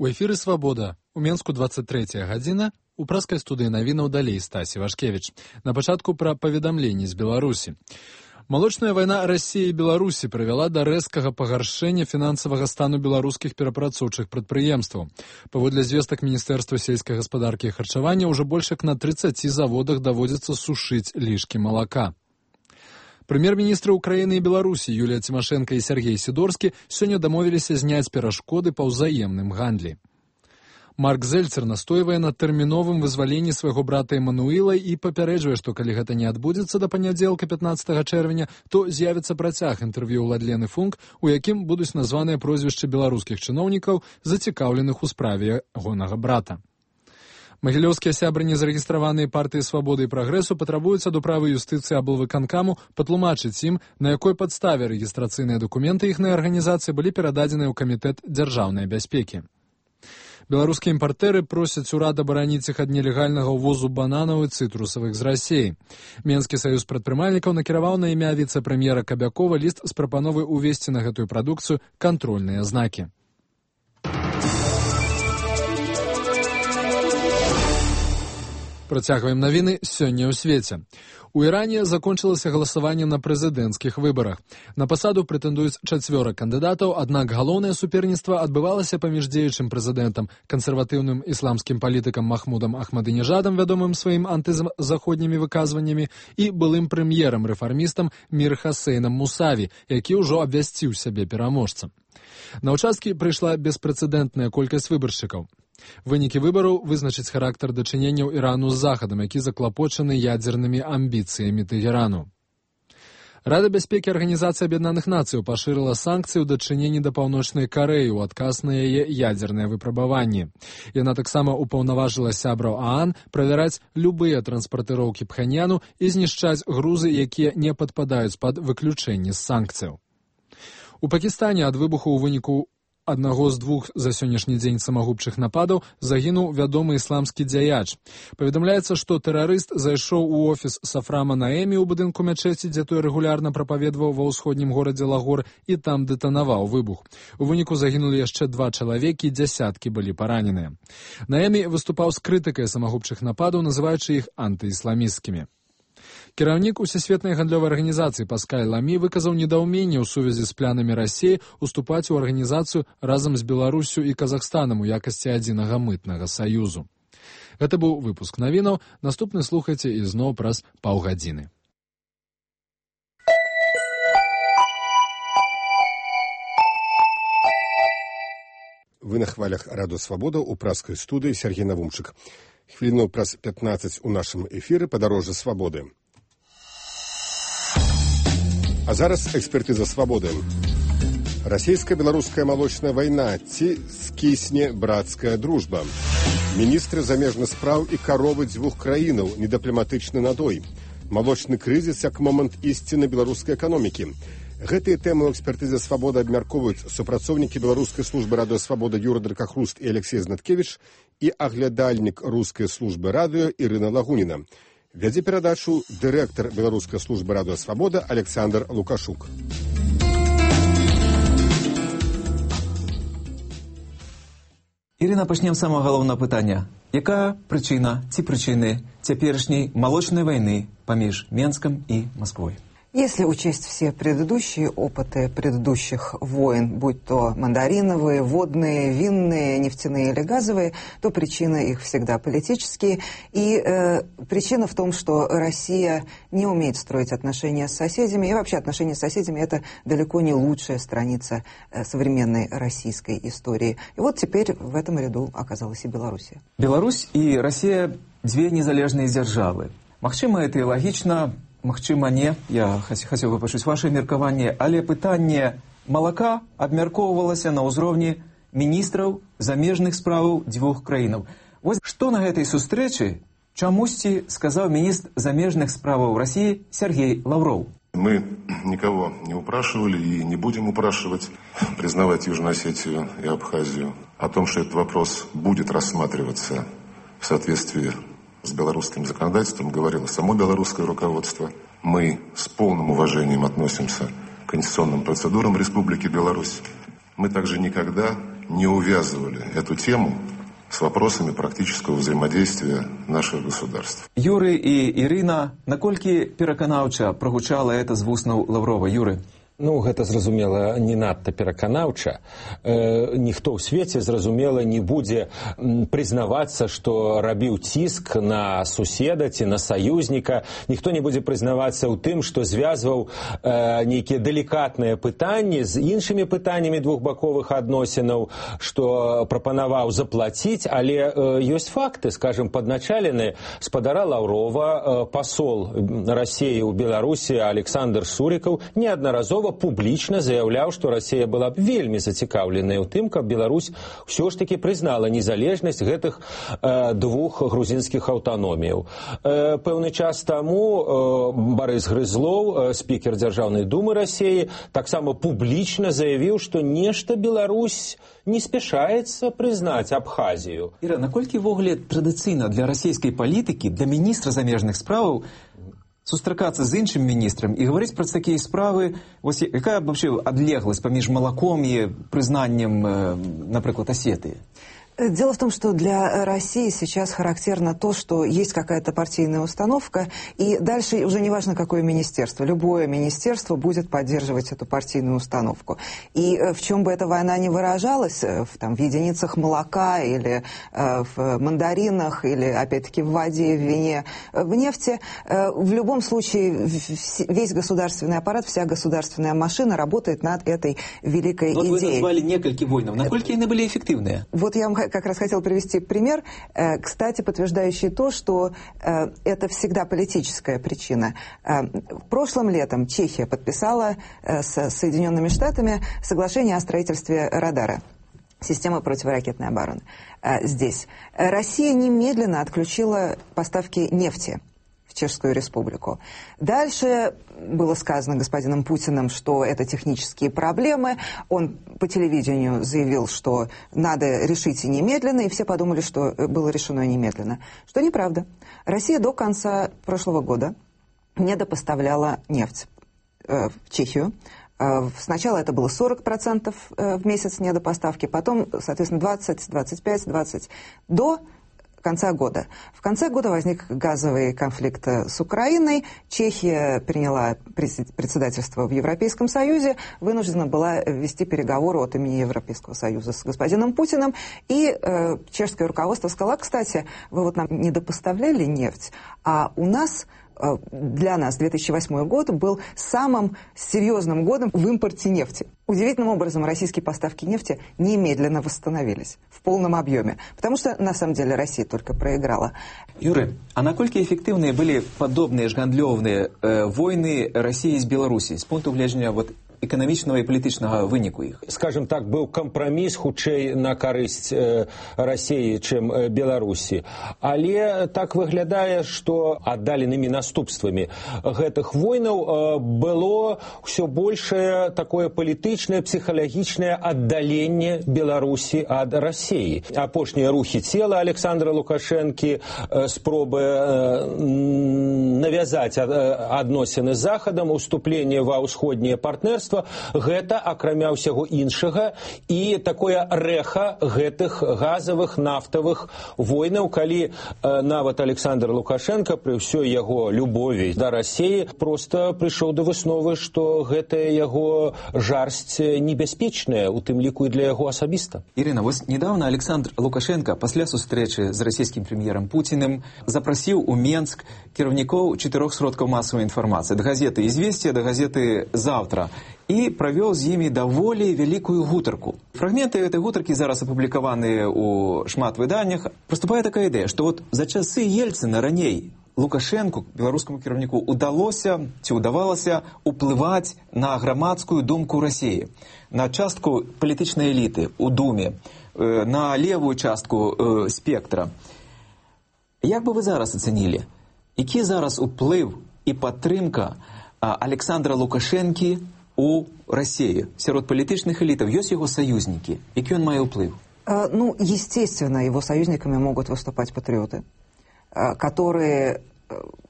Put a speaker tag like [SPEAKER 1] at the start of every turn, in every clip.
[SPEAKER 1] У эфіры «Свабода». У Менску 23 гадзіна. У праскай студыі навінаў далей Стасі Вашкевіч. На пачатку пра паведамленні з Беларусі. Малочная вайна Расіі і Беларусі прывяла да рэзкага пагаршэння фінансавага стану беларускіх перапрацоўчых прадпрыемстваў. Паводле звестак Міністэрства сельскай гаспадаркі і харчавання, ўжо больш як на 30 заводах даводзіцца сушыць лішкі малака. Прэм'ер-міністры Украіны і Беларусі Юлія Цімашэнка і Сергей Сідорскі сёння дамовіліся зняць перашкоды па ўзаемным гандлі. Марк Зельцер настойвае на тэрміновым вызваленні свайго брата Эмануіла і папярэджвае, што калі гэта не адбудзецца да панядзелка 15 чэрвеня, то з'явіцца працяг інтэрв'ю Ладлены Функ, у якім будуць названыя прозвішчы беларускіх чыноўнікаў, зацікаўленых у справе ягонага брата. Магілёўскія сябры незарэгістраваныя партыі «Свабоды» і «Прагрэсу» патрабуюць ад управы юстыцыі аблвыканкаму патлумачыць ім, на якой падставе рэгістрацыйныя дакументы іхнай арганізацыі былі перададзеныя ў камітэт дзяржаўнай бяспекі. Беларускія імпартэры просяць урад абараніць іх ад нелегальнага ўвозу бананаў і цытрусавых з Расіі. Менскі саюз прадпрымальнікаў накіраваў на імя віцэ-прэм'ера Кабякова ліст з прапановай увесці на гэтую прадукцыю кантрольныя знакі. Працягваем навіны сёння ў свеце. У Іране закончылася галасаванне на прэзідэнцкіх выбарах. На пасаду прэтэндуюць 4 кандыдатаў, аднак галоўнае суперніцтва адбывалася паміж дзеючым прэзідэнтам, кансерватыўным ісламскім палітыкам Махмудам Ахмадынежадам, вядомым сваім антызаходнімі выказваннямі, і былым прэм'ерам-рэфармістам Мір Хасейнам Мусаві, які ўжо абвясціў сябе пераможцам. На ўчасткі прыйшла беспрэцэдэнтная колькасць выбаршчыкаў. Вынікі выбараў вызначыць характар дачыненняў Ірану з Захадам, які заклапочаны ядзернымі амбіцыямі Тэгэрану. Рада бяспекі Арганізацыі Аб'яднаных Нацыяў пашырыла санкцыі ў дачыненні да Паўночнай Карэі ў адказ на яе ядзерныя выпрабаванні. Яна таксама ўпаўнаважыла сябраў ААН правяраць любыя транспартыроўкі Пханьяну і знішчаць грузы, якія не падпадаюць пад выключэнне з санкцыяў. У Пакістане ад выбуху ў выніку аднаго з 2 за сённяшні дзень самагубчых нападаў загінуў вядомы ісламскі дзяяч. Паведамляецца, што тэрарыст зайшоў у офіс Сафрама Наэмі ў будынку мячэці, дзе той рэгулярна прапаведваў ва ўсходнім горадзе Лагор, і там дэтанаваў выбух. У выніку загінулі яшчэ 2 чалавекі, дзясяткі былі параненыя. Наэмі выступаў з крытыкай самагубчых нападаў, называючы іх антыісламісцкімі. Кіраўнік Усесветнай гандлёвай арганізацыі Паскаль Ламі выказаў недаўменне ў сувязі з планамі Расіі уступаць у арганізацыю разам з Беларуссю і Казахстанам у якасці адзінага мытнага саюзу. Гэта быў выпуск навінаў. Наступны слухайце ізноў праз паўгадзіны.
[SPEAKER 2] Вы на хвалях Радыё Свабода ў праскай студыі Сергей Навумчык. Хвіліну праз 15 у нашым эфіры «Падарожжа свабоды». А зараз экспертыза свабоды. Расійска-беларуская малочная вайна ці скісне брацкая дружба. Міністры замежных спраў і каровы 2 краінаў, недыпламатычны надой. Малочны крызіс як момант ісціны беларускай эканомікі. Гэтыя тэмы ў экспертызе свабоды абмяркоўваюць супрацоўнікі беларускай службы радыё свабода Юра Дракахруст і Алексей Знаткевіч і аглядальнік рускай службы радыё Ірына Лагуніна. Вядзе перадачу дырэктар беларускай службы радыё свабода Александр Лукашук.
[SPEAKER 3] Ірына, пачнем з самага галоўнага пытання. Якая прычына ці прычыны цяперашняй малочнай вайны паміж Менскам і Масквой?
[SPEAKER 4] Если учесть все предыдущие опыты предыдущих войн, будь то мандариновые, водные, винные, нефтяные или газовые, то причины их всегда политические. И причина в том, что Россия не умеет строить отношения с соседями. И вообще отношения с соседями – это далеко не лучшая страница современной российской истории. И вот теперь в этом ряду оказалась и Белоруссия.
[SPEAKER 3] Беларусь и Россия – 2 незалежные державы. Магчыма, это и логично. Магчыма, не. Я хацеў бы пачуць ваше меркаванне, але пытанне малака абмяркоўвалася на ўзроўні міністраў замежных справаў 2 краінаў. Вось што на гэтай сустрэчы чамусьці сказаў міністр замежных справаў России Сергей Лавров.
[SPEAKER 5] Мы никого не упрашивали и не будем упрашивать признавать Южную Осетию и Абхазию. О том, что этот вопрос будет рассматриваться в соответствии с белорусским законодательством, говорило само белорусское руководство. Мы с полным уважением относимся к конституционным процедурам Республики Беларусь. Мы также никогда не увязывали эту тему с вопросами практического взаимодействия наших государств.
[SPEAKER 3] Юрий и Ирина, наколькі пераканаўча прогучала это з вуснаў Лаврова? Юрий?
[SPEAKER 6] Ну, гэта, зразумела, не надта пераканаўча. Ніхто ў свеце, зразумела, не будзе прызнавацца, што рабіў ціск на суседа ці на саюзніка. Ніхто не будзе прызнавацца ў тым, што звязваў нейкія далікатныя пытанні з іншымі пытаннямі двухбаковых адносінаў, што прапанаваў заплаціць, але ёсць факты, скажем, падначалены спадара Лаўрова, пасол Расіі ў Беларусі Александр Сурікаў неаднаразова публічна заяўляў, што Расія была б вельмі зацікаўленая ў тым, каб Беларусь ўсё ж такі прызнала незалежнасць гэтых двух грузінскіх аўтаноміяў. Пэўны час таму Барыс Грызлоў, спікер Дзяржаўнай думы Расіі, таксама публічна заявіў, што нешта Беларусь не спяшаецца прызнаць Абхазію.
[SPEAKER 3] Іра, наколькі ввогуле традыцыйна для расійскай палітыкі, для міністра замежных справаў сустракацца з іншым міністрам і гаварыць пра такія справы, вось якая вообще адлегласць паміж малаком і прызнаннем, напрыклад, Осетии?
[SPEAKER 4] Дело в том, что для России сейчас характерно то, что есть какая-то партийная установка, и дальше уже не важно, какое министерство. Любое министерство будет поддерживать эту партийную установку. И в чем бы эта война ни выражалась, в единицах молока или в мандаринах, или, опять-таки, в воде, в вине, в нефти, в любом случае весь государственный аппарат, вся государственная машина работает над этой великой идеей.
[SPEAKER 3] Вот вы назвали несколько войн. Насколько они были эффективны?
[SPEAKER 4] Вот я вам как раз хотел привести пример, кстати, подтверждающий то, что это всегда политическая причина. Прошлым летом Чехия подписала с Соединенными Штатами соглашение о строительстве радара, системы противоракетной обороны. Здесь Россия немедленно отключила поставки нефти в Чешскую Республику. Дальше было сказано господином Путиным, что это технические проблемы. Он по телевидению заявил, что надо решить немедленно, и все подумали, что было решено немедленно. Что неправда. Россия до конца прошлого года недопоставляла нефть в Чехию. Сначала это было 40% в месяц недопоставки, потом, соответственно, 20, 25, 20 до конца года. В конце года возник газовый конфликт с Украиной. Чехия приняла председательство в Европейском Союзе, вынуждена была вести переговоры от имени Европейского Союза с господином Путиным. И чешское руководство сказало: кстати, вы вот нам недопоставляли нефть, а у нас... Для нас 2008 год был самым серьезным годом в импорте нефти. Удивительным образом российские поставки нефти немедленно восстановились в полном объеме, потому что на самом деле Россия только проиграла.
[SPEAKER 3] Юрий, а насколько эффективные были подобные гандлёвные войны России с Беларусью с пункту гледжання эканамічнага і палітычнага выніку іх?
[SPEAKER 6] Скажем так, быў кампраміс хутчэй на карысць Расіі, чым Беларусі. Але так выглядае, што аддаленымі наступствамі гэтых войнаў было ўсё большее такое палітычнае, псіхалагічнае аддаленне Беларусі ад Расіі. Апошнія рухі цела Александра Лукашэнкі, спробы навязаць адносіны з Захадам, уступленне ва ўсходняе партнерства, гэта, акрамя ўсяго іншага, і такое рэха гэтых газавых, нафтавых войнаў, калі нават Александр Лукашенко пры ўсёй яго любові да Расіі проста прыйшоў да высновы, што гэтая яго жарсць небяспечная, у тым ліку і для яго асабіста.
[SPEAKER 3] Ірина, вось недавно Александр Лукашенко пасля сустрэчы з расійскім прэм'ерам Путіным запрасіў у Менск кіраўнікоў 4 сродкаў масавай інфармацыі, да газеты «Известия», да газеты «Завтра», и провел з імі даволі вялікую гутарку. Фрагменты этой гутаркі зараз апублікаваныя ў шмат выданнях. Проступае такая ідэя, што вот за часы Ельцына раней Лукашенку, беларускаму кіраўніку, удалося ці ўдавалася уплываць на грамадскую думку Расіі, на частку палітычнай эліты ў Думе, на левую частку спектра. Як бы вы зараз ацэнілі, які зараз уплыў і падтрымка Александра Лукашэнкі у России, сярод палітычных элитов, есть его союзники? Який он мае уплыв?
[SPEAKER 4] Ну, естественно, его союзниками могут выступать патриоты, которые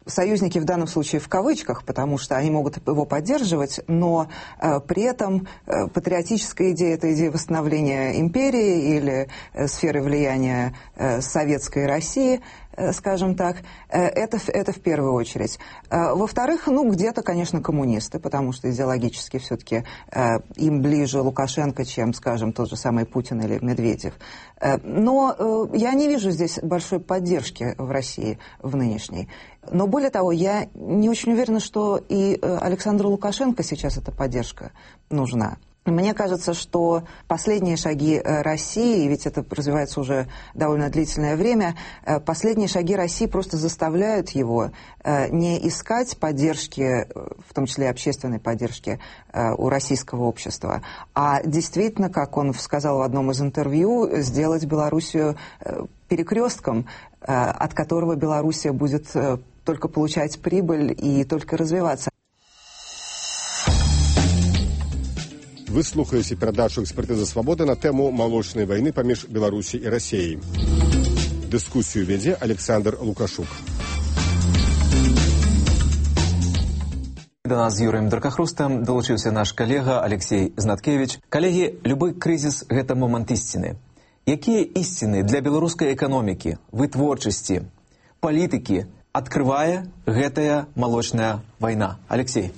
[SPEAKER 4] союзники в данном случае в кавычках, потому что они могут его поддерживать, но при этом патриотическая идея – это идея восстановления империи или сферы влияния советской России, скажем так, это в первую очередь. Во-вторых, где-то, конечно, коммунисты, потому что идеологически все-таки им ближе Лукашенко, чем, скажем, тот же самый Путин или Медведев. Но я не вижу здесь большой поддержки в России в нынешней. Но более того, я не очень уверена, что и Александру Лукашенко сейчас эта поддержка нужна. Мне кажется, что последние шаги России, ведь это развивается уже довольно длительное время, последние шаги России просто заставляют его не искать поддержки, в том числе общественной поддержки у российского общества, а действительно, как он сказал в одном из интервью, сделать Белоруссию перекрестком, от которого Белоруссия будет только получать прибыль и только развиваться.
[SPEAKER 2] Вы слухаеце перадачу «Экспертиза свободы» на тему молочной войны паміж Беларусі і Расіяй. Дыскусію вядзе Александр Лукашук.
[SPEAKER 3] До нас з Юрыем Даркахрустам долучыўся наш калега Алексей Знаткевич. Калегі, любы крызіс – гэта момант ісціны. Якія ісціны для беларускай эканомікі, вытворчасці, палітыкі адкрывае гэтая молочная вайна? Алексей.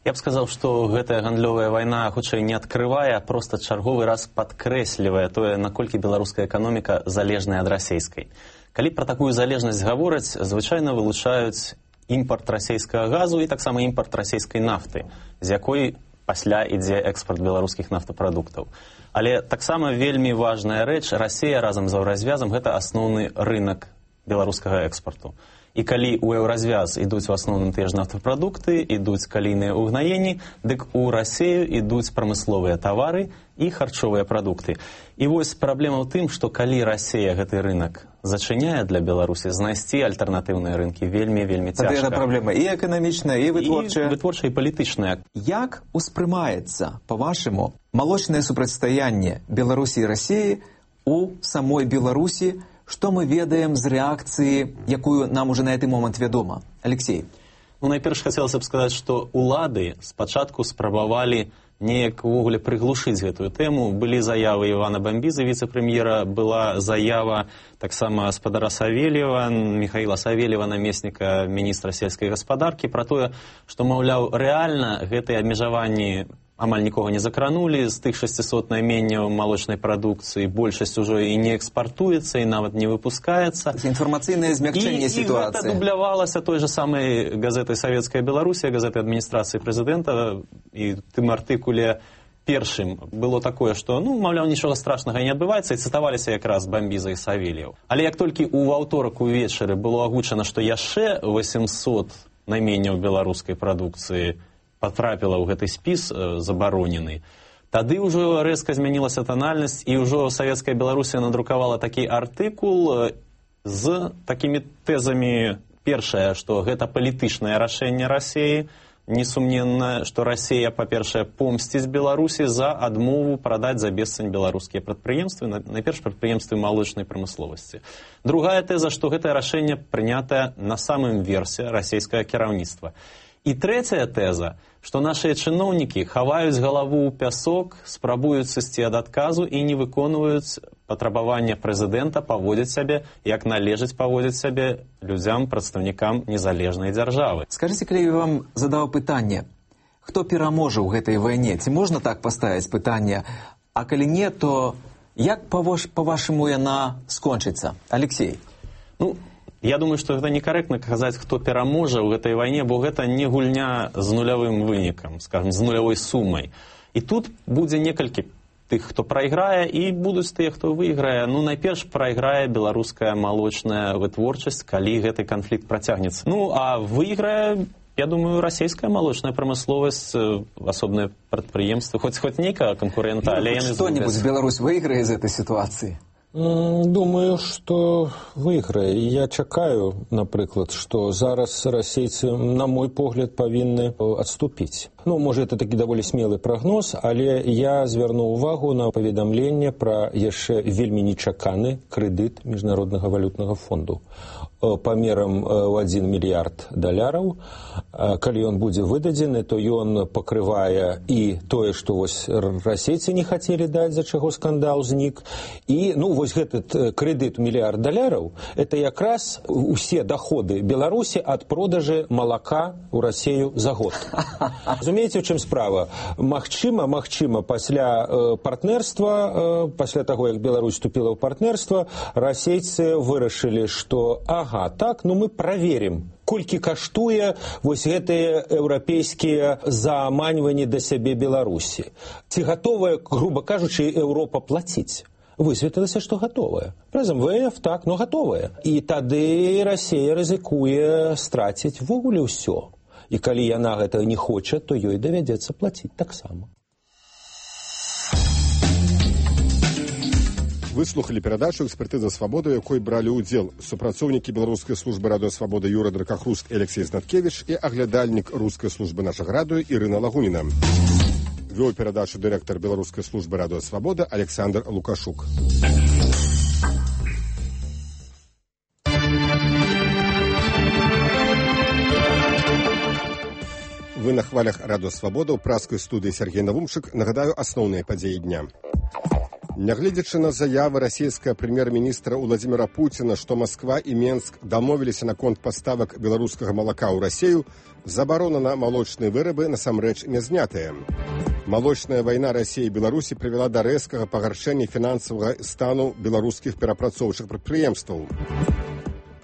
[SPEAKER 7] Я б сказаў, што гэтая гандлёвая вайна хутчэй не адкрывае, а проста чарговы раз падкрэслівае тое, наколькі беларуская эканоміка залежная ад расейскай. Калі пра такую залежнасць гавораць, звычайна вылучаюць імпарт расейскага газу і таксама імпарт расейскай нафты, з якой пасля ідзе экспарт беларускіх нафтапрадуктаў. Але таксама вельмі важная рэч, Расія разам з еўразвязам гэта асноўны рынак беларускага экспарту. І калі ў еўразвяз ідуць у асноўным тыя ж нафтапрадукты, ідуць калійныя ўгнаенні, дык у Расію ідуць прамысловыя тавары і харчовыя прадукты. І вось праблема ў тым, што калі Расія гэты рынак зачыняе для Беларусі, знайсці альтэрнатыўныя рынкі вельмі цяжка.
[SPEAKER 3] Гэта праблема і эканамічная, і вытворчая.
[SPEAKER 7] І вытворчая, і палітычная.
[SPEAKER 3] Як успрымаецца, па-вашаму, малочнае супрацьстаянне Беларусі і Расіі у самой Беларусі, што мы ведаем з рэакцыі, якую нам уже на гэты момант вядома? Алексей.
[SPEAKER 7] Найперш хацелася б сказаць, што улады спачатку спрабавалі неяк увогуле прыглушыць гэтую тэму. Былі заявы Івана Бамбізы, віцэ-прэм'ера, была заява таксама спадара Савельева, Михаіла Савельева, намесніка міністра сельскай гаспадаркі, пра тое, што, маўляў, рэальна гэтыя абмежаванні амаль нікога не закранулі, з тых 600 найменняў малочнай прадукцыі большасць ужо і не экспартуецца, і нават не выпускаецца.
[SPEAKER 3] Інфармацыйнае змякчэнне сітуацыі. І
[SPEAKER 7] гэта дублявалася той же самай газетай «Савецкая Беларусія», газетай адміністрацыі прэзідэнта, і тым артыкуле першым было такое, што, маўляў, нічога страшнага не адбываецца, і цытаваліся якраз Бамбіза і Савельеў. Але як толькі ў аўторак увечары было агучана, што яшчэ 800 найменняў беларускай прадукцыі патрапіла ў гэты спіс забаронены, тады ўжо рэзка змянілася танальнасць, і ўжо Савецкая Беларусія надрукавала такі артыкул з такімі тэзамі. Першае, што гэта палітычнае рашэнне Расіі, несумненна, што Расія, па-першае, помсціць Беларусі за адмову прадаць за бесцань беларускія прадпрыемствы, найперш прадпрыемствы малочнай прамысловасці. Другая тэза, што гэтае рашэнне прынятае на самым версе расійскага кіраўніцтва. І трэцяя тэза, што нашыя чыноўнікі хаваюць галаву ў пясок, спрабуюць сысці ад адказу і не выконваюць патрабавання прэзідэнта паводзіць сябе, як належыць паводзіць сябе людзям, прадстаўнікам незалежнай дзяржавы.
[SPEAKER 3] Скажыце, калі я вам задаў пытанне, хто пераможа ў гэтай вайне? Ці можна так паставіць пытанне? А калі не, то як, па-вашаму, яна скончыцца? Алексей.
[SPEAKER 7] Я думаю, што гэта некарэктна казаць, хто пераможа ў гэтай вайне, бо гэта не гульня з нулявым вынікам, скажем, з нулявой сумай. І тут будзе некалькі тых, хто прайграе, і будуць тыя, хто выйграе. Найперш прайграе беларуская малочная вытворчасць, калі гэты канфлікт працягнецца. А выйграе, я думаю, расійская малочная прамысловасць, асобныя прадпрыемствы, хоць нейкага канкурэнта, але яны згубяць.
[SPEAKER 3] Што-нибудь Беларусь выйграе з этой сітуацыі?
[SPEAKER 6] Думаю, што выйграе. Я чакаю, напрыклад, што зараз расейцы, на мой погляд, павінны адступіць. Можа, это такі даволі смелы прагноз, але я звярну ўвагу на паведамленне пра яшчэ вельмі нечаканы крэдыт Міжнароднага валютнага фонду памерам ў $1 мільярд. Калі ён будзе выдадзены, то ён пакрывае і тое, што вось расейцы не хацелі даць, за чаго скандал знік. І, вось гэты крэдыт $1 мільярд, это якраз усе даходы Беларусі ад продажы малака ў Расею за год. Разумееце, у чым справа? Магчыма, пасля партнерства, пасля таго, як Беларусь вступіла ў партнерства, расейцы вырашылі, што мы праверым, колькі каштуе вось гэтыя еўрапейскія заманьванні да сябе Беларусі. Ці гатовая, груба кажучы, Еўропа плаціць? Высветлілася, што гатовая. Праз МВФ, так, но гатовая. І тады Расія рызыкуе страціць ввогуле ўсё. І калі яна гэтага не хоча, то ёй давядзецца плаціць таксама.
[SPEAKER 2] Вы слухали перадачу «Экспертиза свабоды», у якой бралі ўдзел супрацоўнікі беларускай службы радыёсвабода Юра Дракахруст і Алексей Знаткевич і аглядальнік рускай службы нашага радыё Ірына Лагуніна. Вёў перадачу дырэктар беларускай службы радыёсвабода Александр Лукашук. Вы на хвалях радыёсвабода ў праскай студыі Сергей Навумчык. Нагадаю асноўныя падзеі дня. Нягледзячы на заявы расійскага прэм'ер-міністра Владзіміра Пуціна, што Масква і Менск дамовіліся наконт паставак беларускага малака ў Расею, забарона на малочныя вырабы насамрэч не знятая. Малочная вайна Расіі і Беларусі прывяла да рэзкага пагаршэння фінансавага стану беларускіх перапрацоўчых прадпрыемстваў.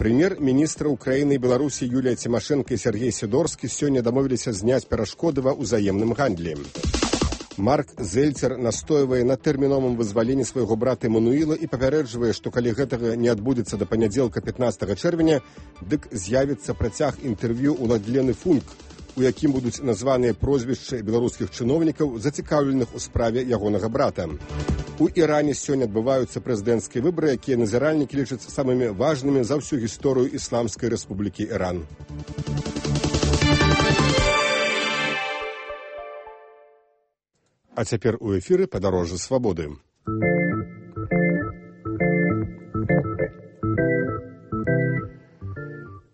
[SPEAKER 2] Прэм'ер-міністры Украіны і Беларусі Юлія Цімашэнка і Сергей Сідорскі сёння дамовіліся зняць перашкоды ва ўзаемным гандлі. Марк Зельцер настойвае на тэрміновым вызваленні свайго брата Эмануіла і папярэджвае, што калі гэтага не адбудзецца да панядзелка 15 чэрвеня, дык з'явіцца працяг інтэрв'ю ў Ладлены Функ, у якім будуць названыя прозвішчы беларускіх чыноўнікаў, зацікаўленых у справе ягонага брата. У Іране сёння адбываюцца прэзідэнцкія выбары, якія назіральнікі лічаць самымі важнымі за ўсю гісторыю Ісламскай Рэспублікі Іран. А цяпер у эфіры «Падарожжа свабоды».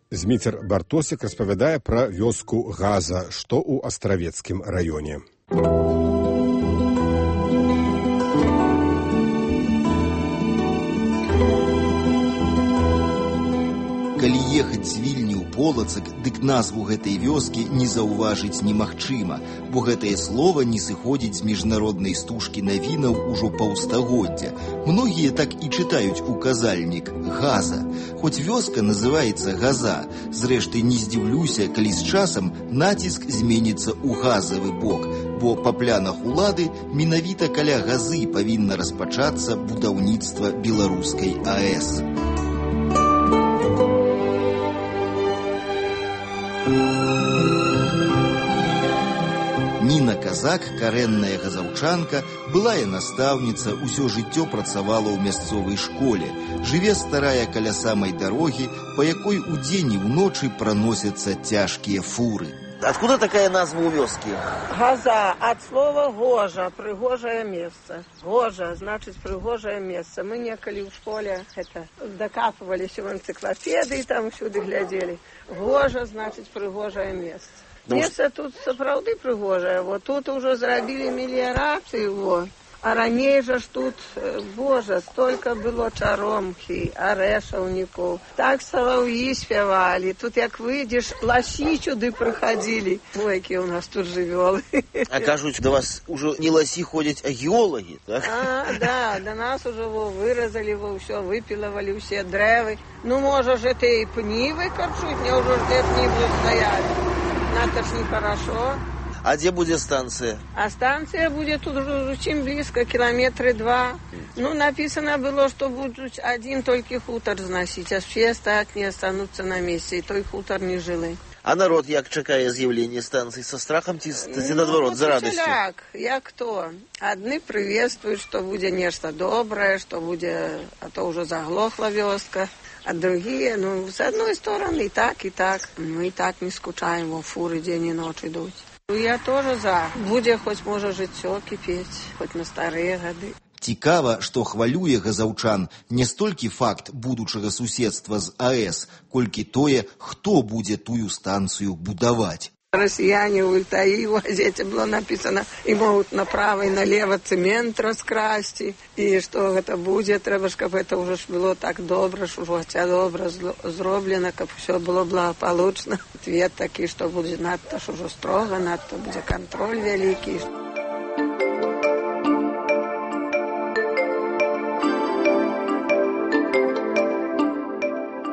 [SPEAKER 2] Зміцер Бартосік распавядае пра вёску Газа, што ў Астравецкім раёне.
[SPEAKER 8] Калі ехаць з Вільні ў Полацак, дык назву гэтай вёскі не заўважыць немагчыма, бо гэтае слова не сыходзіць з міжнароднай стужкі навінаў ужо паўстагоддзя. Многія так і чытаюць указальнік «Газа». Хоць вёска называецца Газа, зрэшты не здзіўлюся, калі з часам націск зменіцца ў газавы бок, бо па планах улады менавіта каля Газы павінна распачацца будаўніцтва беларускай АЭС. Ніна Казак, карэнная газаўчанка, былая настаўніца, усё жыццё працавала ў мясцовай школе. Жыве старая каля самай дарогі, па якой удзень і ўночы праносяцца цяжкія фуры.
[SPEAKER 9] Откуда такая назва у вёскі?
[SPEAKER 10] Газа, от слова гожа, прыгожае месца. Гожа, значыць прыгожае месца. Мы некалі ў школе дакапываліся ў энцыклапедыі, там всюды глядзелі. Гожа, значыць прыгожае месца. Месца тут сапраўды прыгожае. Вот тут ужо зрабілі меліярацыю, а раней жа ж тут, божа, столько было чаромкі, арэшаўнікаў. Так салаўі спявалі. Тут як выйдзеш, ласі сюды прыходзілі. Ой, якія ў нас тут жывёлы.
[SPEAKER 9] А кажуць, да вас ужо не ласі ходзяць, а геолагі, так?
[SPEAKER 10] Да, да нас ужо выразалі, ўсё, выпілавалі ўсе дрэвы. Ну, можа ж, это і пні выкарчуць, няўжо ж де пні будуць стаять. Это ж нехорошо.
[SPEAKER 9] А где будет станция?
[SPEAKER 10] А станция будет тут уже очень близко, 2 километра. Ну, написано было, что будут один только хутор сносить, а все остальные останутся на месте, и той хутор не жилый.
[SPEAKER 9] А народ як чакае з'яўлення станцыі, са страхам ці наадварот, за радасцю?
[SPEAKER 10] Як кто? Адны прыветствуюць, што будзе нешта добрае, што будзе, а то ўжо заглохла вёска. А другие, с одной стороны, и так, и так. Мы и так не скучаем, фуры день и ночь идут. Я тоже за. Будзе хоть, можа, жыццё кіпець, хоть на старыя гады.
[SPEAKER 8] Цікава, што хвалюе газаўчан не столькі факт будучага суседства з АЭС, колькі тое, хто будзе тую станцыю будаваць.
[SPEAKER 10] Россияне в Ультаи в газете было написано, и могут направо и налево цемент раскрасть, и что это будет, треба, чтобы это уже было так добро, что уже добро зроблено, как все было благополучно. Ответ такой, что будет надто, что уже строго, надто будет контроль великий.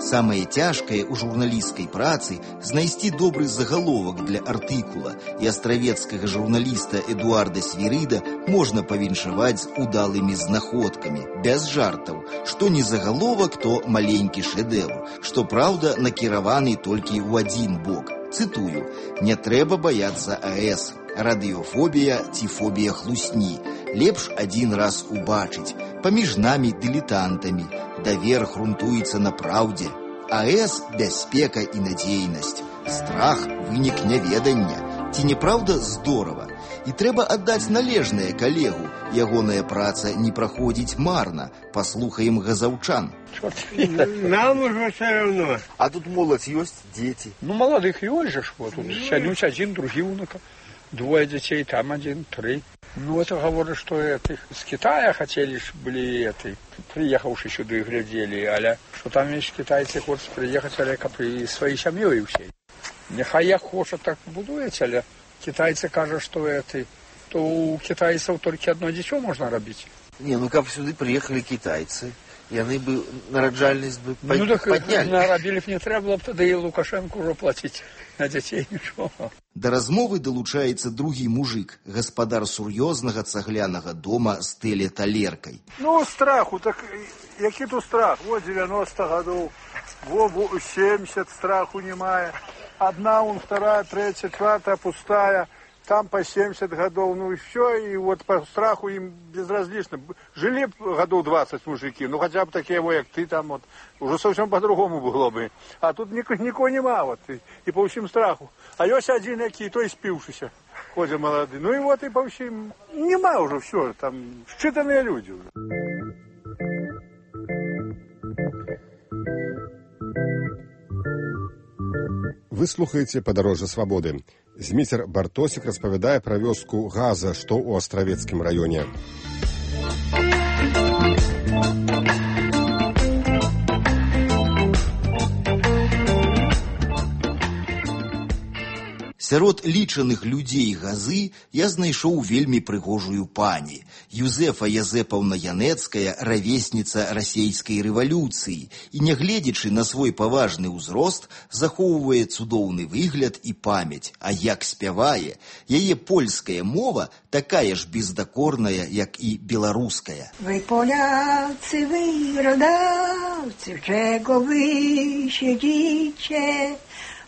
[SPEAKER 8] Самае цяжкае ў журналісцкай працы знайсці добры загаловак для артыкула, і астравецкага журналіста Эдуарда Свірыда можна павіншаваць з удалымі знаходкамі, без жартаў, што не загаловак, то маленькі шэдэўр, што, праўда, накіраваны толькі ў адзін бок. Цытую: «Не трэба баяцца АЭС. Радыёфобія ці фобія хлусні. Лепш адзін раз убачыць. Паміж намі дылетантамі. Давер грунтуецца на праўдзе. АЭС – бяспека і надзейнасць. Страх – вынік няведання. Ці не праўда здорава? І трэба аддаць належнае калегу. Ягоная праца не праходзіць марна. Паслухаем газаўчан».
[SPEAKER 11] Нам уже все равно.
[SPEAKER 9] А тут моладзь ёсць, дзеці?
[SPEAKER 11] Маладых ёсць ж. Вот, сядуць адзін, другі ўнука. Двое детей, там один, 3. Это говорят, что с Китая хотели, были приехавшие сюда и глядели, але что там есть китайцы хочут приехать, але при своей семьей всей. Нехай як хочет, так будуете, але китайцы кажут, что то у китайцев только одно дитё можно робить.
[SPEAKER 9] Не, как сюда приехали китайцы, и они бы нараджальность бы подняли.
[SPEAKER 11] Наробили б не треба было б тогда и Лукашенко уже платить на детей ничего.
[SPEAKER 8] Да размовы далучаецца другі мужик, гаспадар сур'ёзнага цаглянага дома з тэлеталеркай.
[SPEAKER 11] Страху, так які тут страх? 90 гадоў, 70 страху немає. Одна, вторая, третья, четвертая пустая. Там по 70 годов, и все, и вот по страху им безразлично. Жили годов 20 мужики, хотя бы такие, как ты там, вот, уже совсем по-другому было бы. А тут никого нема, вот, и по всем страху. А есть один, який, то и спившийся, ходят молодые. И вот, и по всем, нема уже все, там, считанные люди уже.
[SPEAKER 2] Вы слухаеце «Падарожжа свабоды». Зміцер Бартосік распавядае пра вёску Газа, што ў астравецкім раёне.
[SPEAKER 8] Сярод лічаных людзей Газы я знайшоў вельмі прыгожую пані. Юзефа Язэпаўна Янэцкая, равесніца расейскай рэвалюцыі, і, нягледзячы на свой паважны ўзрост, захоўвае цудоўны выгляд і памяць. А як спявае, яе польская мова такая ж бездакорная, як і беларуская.
[SPEAKER 12] Вы, поляцы, вы, родавцы, чего вы сидите?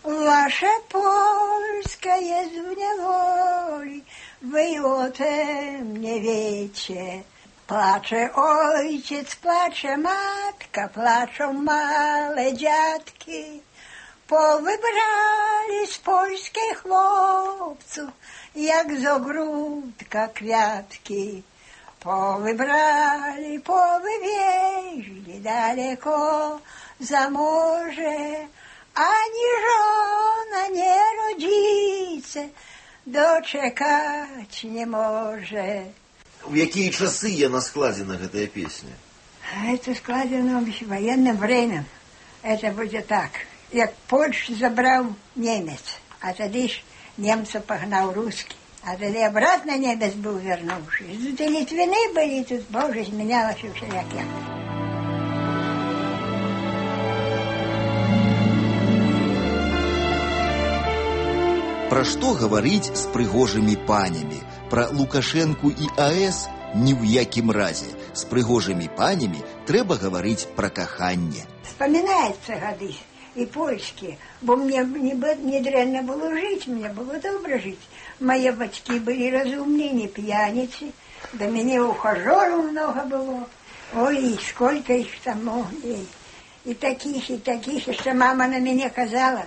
[SPEAKER 12] Ваше польское в неволі, ви о тем не wiecie. Placze ojciec, placze matka, placzą małe dziadki. Powybrali z polskich chłopców, jak z ogródka kwiatki. Powybrali, powywieźli daleko za morze. Ani żona, nie rodzice doczekać nie może.
[SPEAKER 9] В якія часы яна складзена, гэтая песня?
[SPEAKER 12] Это складено в военное время. Это будет так. Як Польшу забрал немец, а тогда ж немца погнал русский. А тогда обратно немец был вернувший. Тут и Литвины были, тут, боже, изменялось и всякие.
[SPEAKER 8] Пра што гаварыць з прыгожымі панямі? Пра Лукашэнку і АЭС ні ў якім разе. З прыгожымі панямі трэба гаварыць пра каханне.
[SPEAKER 12] Вспоминается годы. и польские. Бо мне не дрянно было жить, мне было добро жить. Мои батьки были разумные, не пьяницы. До меня ухажеров много было. Ой, сколько их там много. И таких, что мама на меня казала,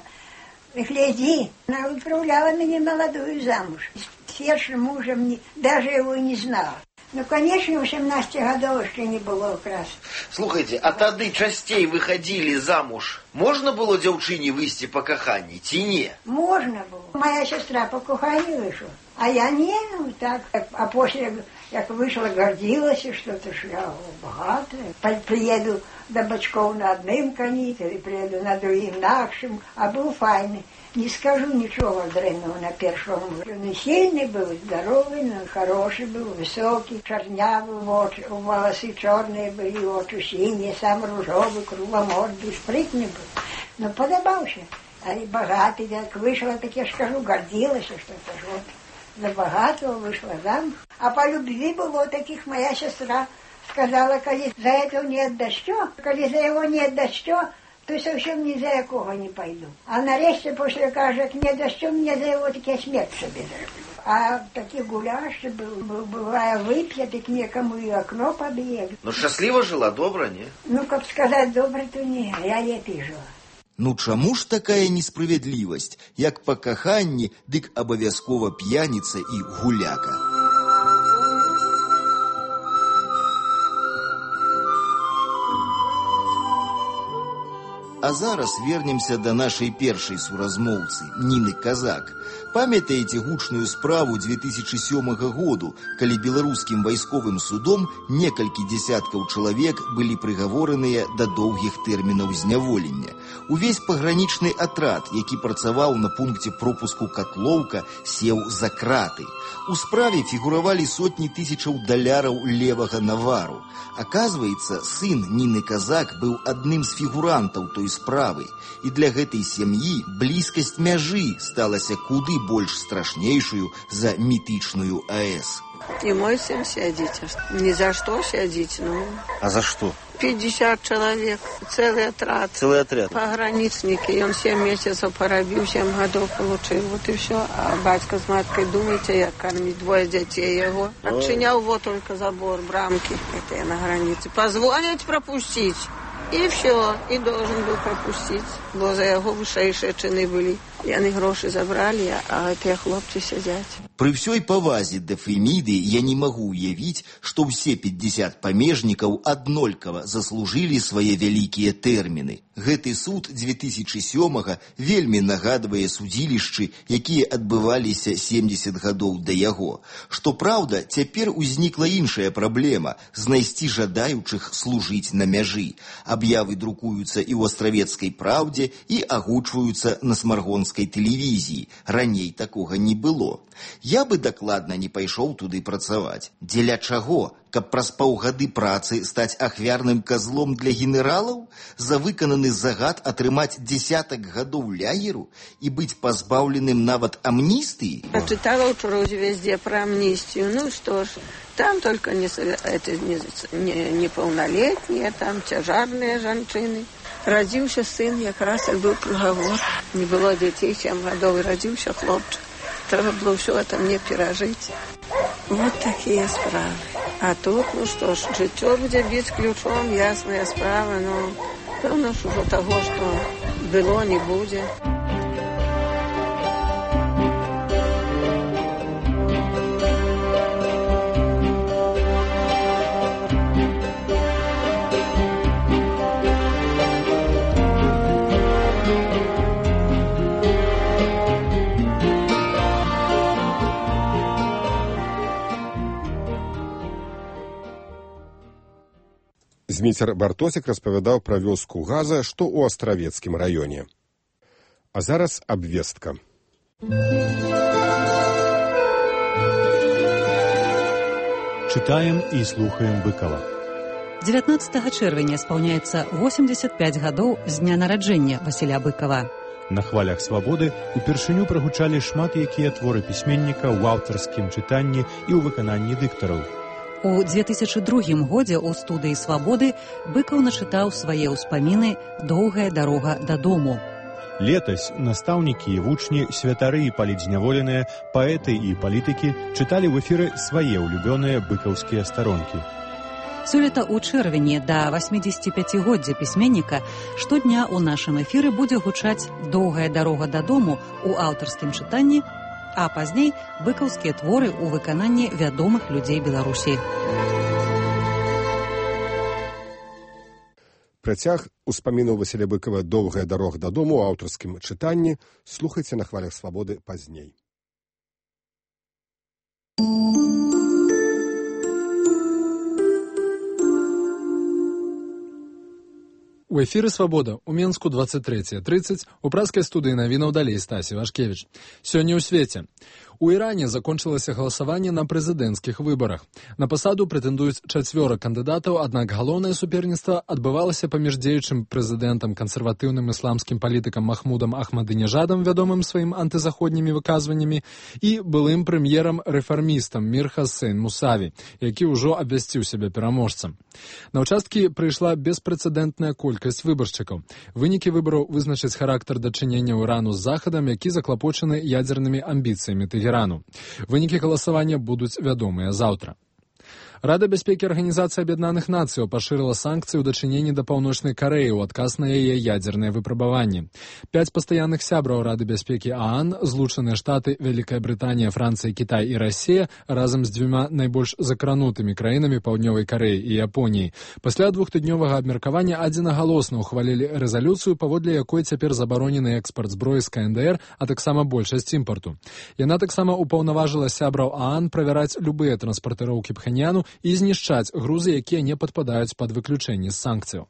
[SPEAKER 12] гляди, она выправляла меня молодую замуж. С первым мужем даже его не знала. Ну, конечно, 18 годов еще не было якраз.
[SPEAKER 9] Слухайте, а тады частей выходили замуж. Можно было дзяўчыне выйти по каханні, ці не?
[SPEAKER 12] Можно было. Моя сестра по каханні вышла, а я не, ну так. А после, как вышла, гордилась, что-то, что я богатая. Приеду до бачков на одном коні, или приеду на другим нашим, а был файный. Не скажу ничего дрянного на первом. Он сильный был, здоровый, но хороший был, высокий, чернявый, волосы черные были, очи синие, сам ружовый, кругломордый, спрытный был. Но подобался. А и богатый, как вышла, так я скажу, гордилась, что-то вот. За богатого вышла замуж. А по любви было таких моя сестра сказала, коли за этого не отдашь, коли за его не отдашь, то совсем ни за якого не пойду. А нарешті, после кажет, не за що мне за его, так я смерть себе зроблю. А такие гуляши бывая выпьет, и к некому и окно побьет.
[SPEAKER 9] Ну, счастливо жила, добра, не?
[SPEAKER 12] Ну, как сказать, добра, то не, я лепей жила.
[SPEAKER 8] Ну чаму ж такая несправядлівасць, як па каханні, дык абавязкова п'яніца і гуляка? А зараз вернемся до нашей першай суразмоўцы, Ніны Казак. Памятаеце гучную справу 2007 году, калі беларускім вайсковым судом некалькі дзесяткаў чалавек былі прыгавораныя да доўгіх тэрмінаў зняволення. Увесь пагранічны атрад, які працаваў на пункце пропуску Котлоўка, сеў за краты. У справе фігуравалі сотні тысячаў даляраў левага навару. Оказывается, сын Нины Казак был одним з фігурантаў той справы, і для гэтай сям'і блізкасць мяжы сталася куды больш страшнейшую за мітычную АЭС.
[SPEAKER 10] И мой сын сядет. Ни за что сядет, ну.
[SPEAKER 9] А за что?
[SPEAKER 10] 50 человек, целый отряд.
[SPEAKER 9] Целый отряд.
[SPEAKER 10] Пограничники. И он 7 месяцев поробил, 7 годов получил. Вот и все. А батька с маткой, думаете, я кормить 2 детей его. Отчинял вот только забор, брамки. Это я на границе. Позвонить, пропустить. И все. И должен был пропустить. Бо за его вышэйшие чины были. И они гроши забрали, а эти хлопцы сидят.
[SPEAKER 8] При всей повазе да Фемиды я не могу уявить, что все 50 памежников однолькова заслужили свои великие термины. Гэты суд 2007-го вельми нагадывае судилищи, якія адбываліся 70 годов до яго. Что правда, цяпер узнікла іншая праблема – знайсці жадаючых служить на мяжы. Объявы друкуются и в Островецкой правде, и агучваюцца на смаргонской телевизии. Раней такога не было. Я бы дакладна не пайшоў туды працаваць. Дзеля чаго? Каб праз паўгады працы стаць ахвярным козлом для генералаў? За выкананы загад атрымаць десятак гадоў ляеру і быць пазбаўленым нават амністыі?
[SPEAKER 10] Прочитала учора везде про амнистию. Ну что ж, там только неполнолетние, там тяжарные женщины. Родился сын, якраз был приговор. Не было детей 7 годов, и родился хлопчик. Треба было все это мне пережить. Вот такие справы. А тут, ну что ж, життя будет бить ключом, ясная справа, но певно, что уже того, что было, не будет.
[SPEAKER 2] Зміцер Бартосік распавядаў пра вёску Газа, што ў Астравецкім раёне. А зараз абвестка.
[SPEAKER 13] Читаем и слухаем Быкова.
[SPEAKER 14] 19 чэрвеня спаўняецца 85 гадоў з дня нараджэння Васіля Быкова.
[SPEAKER 13] На хвалях свабоды упершыню прагучалі шмат якія творы пісьменніка ў аўтарскім чытанні і ў выкананні дыктараў.
[SPEAKER 14] У 2002 годзе ў студыі «Свабоды» Быкаў начытаў свае ўспаміны «Доўгая дарога дадому».
[SPEAKER 13] Летась настаўнікі і вучні, святары і палітзняволеныя, паэты і палітыкі чыталі ў эфіры свае ўлюбёныя быкаўскія старонкі.
[SPEAKER 14] Сёлета ў чэрвені да 85-годдзя пісьменніка штодня ў нашым эфіры будзе гучаць «Доўгая дарога дадому» у аўтарскім чытанні, а пазней быкаўскія творы ў выкананні вядомых людзей Беларусі.
[SPEAKER 2] Працяг успамінаў Васіля Быкава «Доўгая дарога дадому» ў аўтарскім чытанні слухайце на хвалях свабоды пазней.
[SPEAKER 1] У эфіры «Свабода» у Менску 23:30, у праскай студыі навінаў далей Стасі Вашкевіч. Сёння ў свеце. У Іране закончылася галасаванне на прэзідэнцкіх выбарах. На пасаду прэтэндуюць 4 кандыдатаў, аднак галоўнае суперніцтва адбывалася паміж дзеючым прэзідэнтам, кансерватыўным ісламскім палітыкам Махмудам Ахмадынежадам, вядомым сваім антызаходнімі выказваннямі, і былым прэм'ерам-рэфармістам Мір Хасейн Мусаві, які ўжо абвясціў сябе пераможцам. На ўчасткі прыйшла беспрэцэдэнтная колькасць выбаршчыкаў. Вынікі выбараў вызначаць характар дачынення Ірану з Захадам, які заклапочаны ядзернымі амбіцыямі Тэгерану. Вынікі галасавання будуць вядомыя заўтра. Рада бяспекі Арганізацыі Аб'яднаных Нацыяў пашырыла санкцыі ў дачыненні да Паўночнай Карэі ў адказ на яе ядзерныя выпрабаванні. 5 пастаянных сябраў Рады бяспекі ААН, Злучаныя Штаты, Вялікая Брытанія, Францыя, Кітай і Расія, разам з 2 найбольш закранутымі краінамі Паўднёвай Карэі і Японіі, пасля 2-тыднёвага абмеркавання адзінагалосна ўхвалілі рэзалюцыю, паводле якой цяпер забаронены экспарт зброі з КНДР, а таксама большасць імпарту. Яна таксама ўпаўнаважыла сябраў ААН правяраць любыя транспартыроўкі Пхеньяну і знішчаць грузы, якія не падпадаюць пад выключэнне з санкцыяў.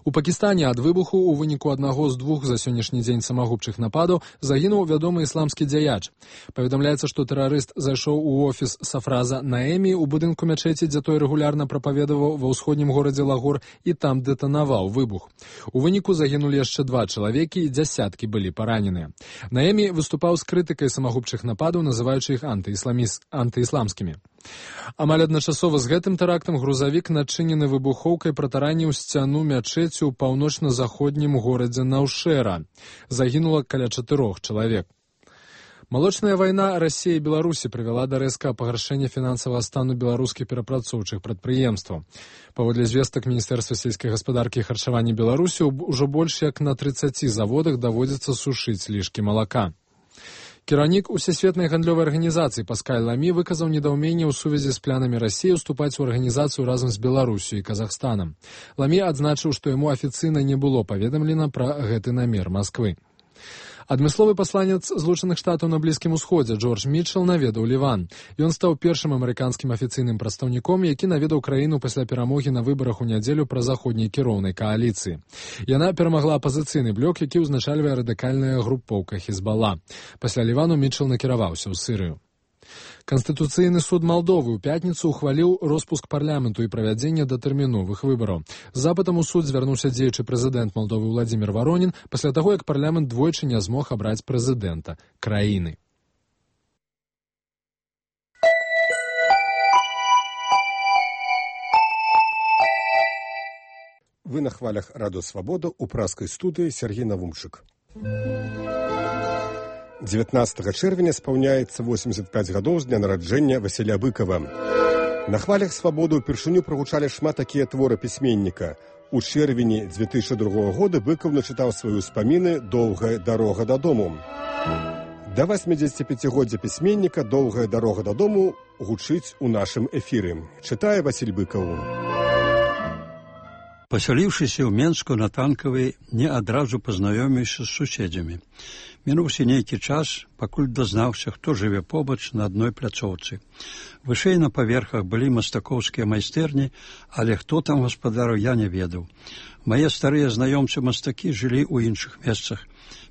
[SPEAKER 1] У Пакістане ад выбуху ў выніку аднаго з 2 за сённяшні дзень самагубчых нападаў загінуў вядомы ісламскі дзяяч. Паведамляецца, што тэрарыст зайшоў у офіс Сафраза Наэмі ў будынку мячэці, дзе той рэгулярна прапаведаваў ва ўсходнім горадзе Лагор, і там дэтанаваў выбух. У выніку загінулі яшчэ 2 чалавекі, і дзясяткі былі параненыя. Наэмі выступаў з крытыкай самагубчых нападаў, называючы іх антыісламскімі. Амаль адначасова з гэтым тэрактам грузавік, начынены выбухоўкай, пратараніў сцяну мячэці ў паўночна-заходнім горадзе Наўшэра. Загінула каля 4 чалавек. Малочная вайна Расіі і Беларусі прывяла да рэзкага пагаршэння фінансавага стану беларускіх перапрацоўчых прадпрыемстваў. Паводле звестак Міністэрства сельскай гаспадаркі і харчавання Беларусі, ужо больш як на 30 заводах даводзіцца сушыць лішкі малака. Кіраўнік Усесветнай гандлёвай арганізацыі Паскаль Ламі выказаў недаўменне ў сувязі з планамі Расіі уступаць у арганізацыю разам з Беларусю і Казахстанам. Ламі адзначыў, што яму афіцыйна не было паведамлена пра гэты намер Масквы. Адмысловы пасланец Злучаных Штатаў на Блізкім Усходзе Джордж Мітчел наведаў Ліван. Ён стаў першым амерыканскім афіцыйным прадстаўніком, які наведаў краіну пасля перамогі на выбарах у нядзелю пра заходняй кіроўнай кааліцыі. Яна перамагла апазіцыйны блок, які ўзначальвае радыкальная групоўка Хізбала. Пасля Лівану Мітчел накіраваўся ў Сірыю. Канстытуцыйны суд Малдовы ў пятніцу ухваліў роспуск парламенту і правядзенне датэрміновых выбараў. З запытам у суд звярнуўся дзеючы прэзідэнт Малдовы Владзімір Варонін пасля таго, як парламент двойчы не змог абраць прэзідэнта краіны.
[SPEAKER 2] Вы на хвалях Радыё Свабода ў праскай студыі Сергей Навумчык. 19 чэрвеня спаўняецца 85 гадоў з дня нараджэння Васіля Быкава. На хвалях свабоды ўпершыню прагучалі шмат такія творы пісьменніка. У чэрвені 2002 года Быкаў начытаў свае ўспаміны «Доўгая дарога дадому». Да 85-годдзя пісьменніка «Доўгая дарога дадому» гучыць у нашым эфіры. Чытае Васіль Быкаў.
[SPEAKER 15] Пасяліўшыся ў Менску на Танкавай, не адразу пазнаёміўся з суседзямі. Мінуўся нейкі час, пакуль дазнаўся, хто жыве побач на адной пляцоўцы. Вышэй на паверхах былі мастакоўскія майстэрні, але хто там гаспадару, я не ведаў. Мае старыя знаёмцы-мастакі жылі ў іншых месцах,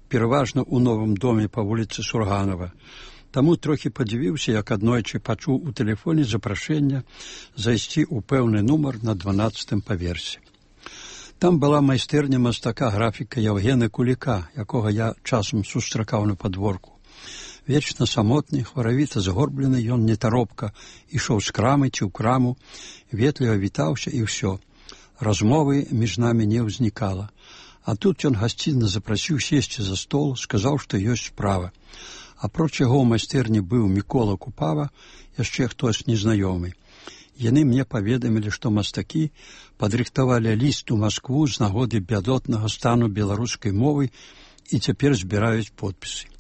[SPEAKER 15] пераважна ў новым доме па вуліцы Сурганова. Таму трохі падзівіўся, як аднойчы пачуў у тэлефоне запрашэнне зайсці ў пэўны нумар на 12-м паверсе. Там была майстэрня мастака-графіка Яўгена Куліка, якога я часам сустракаў на падворку. Вечна самотны, хваравіта згорблены, ён нетаропка ішоў з крамы ці ў краму, ветліва вітаўся і ўсё. Размовы між намі не ўзнікала. А тут ён гасцінна запрасіў сесці за стол, сказаў, што ёсць справа. Апроч яго ў майстэрні быў Мікола Купава, яшчэ хтось незнаёмы. Яны мне паведамілі, што мастакі падрыхтавалі ліст у Маскву з нагоды бядотнага стану беларускай мовы і цяпер збіраюць подпісы.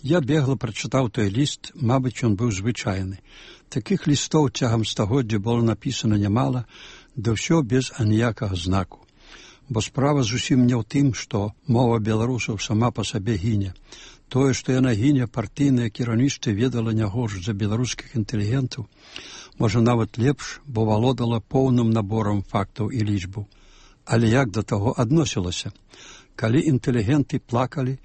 [SPEAKER 15] Я бегла прачытаў той ліст, мабыць, ён быў звычайны. Такіх лістоў цягам стагоддзя было напісана нямала, да ўсё без аніякага знаку. Бо справа зусім не ў тым, што мова беларусаў сама па сабе гіне. Тое, што яна гіне, партыйнае кіраўніцтва ведала не горш за беларускіх інтэлігентаў, можа нават лепш, бо валодала поўным наборам фактаў і лічбаў. Але як да таго адносілася? Калі інтэлігенты плакалі,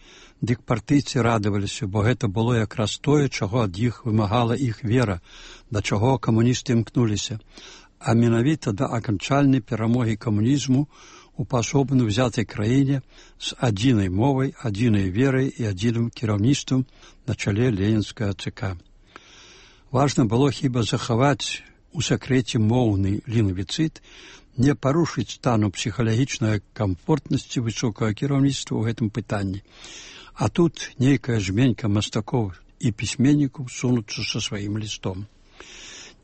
[SPEAKER 15] дык партыйцы радаваліся, бо гэта было якраз тое, чаго ад іх вымагала іх вера, да чаго камуністы імкнуліся, а менавіта да аканчальнай перамогі камунізму у паасобна ўзятай краіне з адзінай мовай, адзінай верай і адзіным кіраўніцтвам на чале ленінскага ЦК. Важна было хіба захаваць у сакрэце моўны лінгвіцыт, не парушыць стану псіхалагічнай камфортнасці высокага кіраўніцтва ў гэтым пытанні. А тут нейкая жменька мастакоў і пісьменнікаў сунуцца са сваім лістом.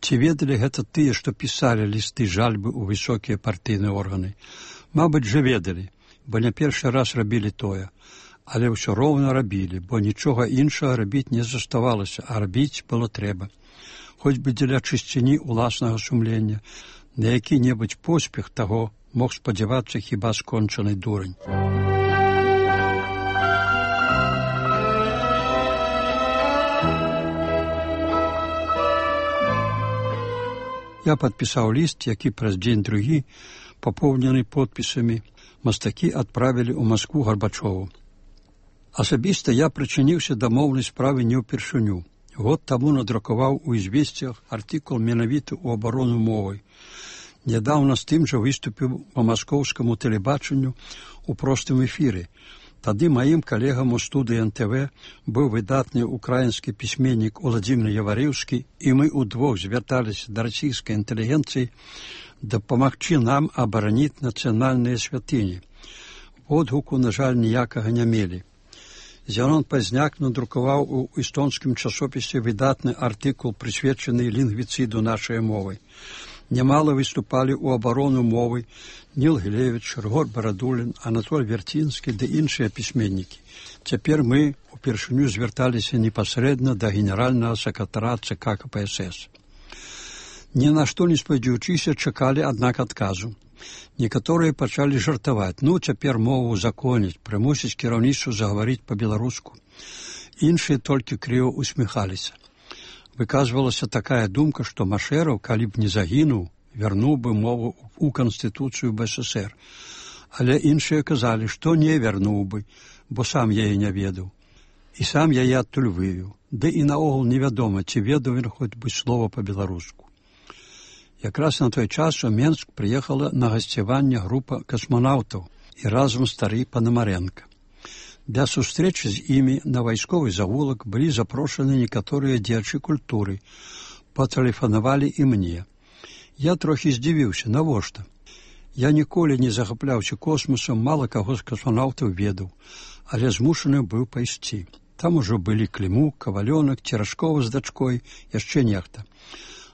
[SPEAKER 15] Ці ведалі гэта тыя, што пісалі лісты жальбы ў высокія партыйныя органы? Мабыць, жа ведалі, бо не першы раз рабілі тое, але ўсё роўна рабілі, бо нічога іншага рабіць не заставалася, а рабіць было трэба. Хоць бы дзеля чысціні ўласнага сумлення, на які-небудзь поспех таго мог спадзявацца хіба скончаны дурань. Я падпісаў ліст, які праз дзень-другі, папоўнены подпісамі, мастакі адправілі ў Маскву Гарбачову. Асабіста я прычыніўся да моўнай справы не ўпершыню. Год таму надрукаваў у «Ізвесціях» артыкул менавіта ў абарону мовай. Нядаўна з тым жа выступіў па маскоўскаму тэлебачанню ў простым эфіры. Тады маім калегам у студыі НТВ быў выдатны украінскі пісьменнік Уладзімір Яварыўскі, і мы ўдвох звярталіся да расійскай інтэлігенцыі дапамагчы нам абараніць нацыянальныя святыні. Водгуку, на жаль, ніякага не мелі. Зянон Пазняк надрукаваў у эстонскім часопісе выдатны артыкул, прысвечаны лінгвіцыду нашай мовы. Нямала выступалі ў абарону мовы Ніл Гілевіч, Рыгор Барадулін, Анатоль Вярцінскі ды іншыя пісьменнікі. Цяпер мы упершыню звярталіся непасрэдна да генеральнага сакратара ЦК КПСС. Ні на што не спадзяючыся, чакалі, аднак, адказу. Некаторыя пачалі жартаваць. Ну, цяпер мову узаконіць, прымусіць кіраўніцтва загаварыць па-беларуску. Іншыя толькі крыва усміхаліся. Выказвалася такая думка, што Машэраў, калі б не загінуў, вярнуў бы мову ў Канстытуцыю БССР. Але іншыя казалі, што не вярнуў бы, бо сам яе не ведаў. І сам яе адтуль вывеў. Ды і наогул невядома, ці ведаў ён хоць бы слова па-беларуску. Якраз на той час у Менск прыехала на гасцяванне група касманаўтаў і разам стары Панамаренка. Для сустрэчы з імі на вайсковы завулак былі запрошаны некаторыя дзеячы культуры. Патэлефанавалі і мне. Я трохі здзівіўся, навошта? Я ніколі не захапляўся космосам, мала каго з касманаўтаў ведаў, але змушаны быў пайсці. Там ужо былі Клімук, Кавалёнак, Церашкова з дачкой, яшчэ нехта.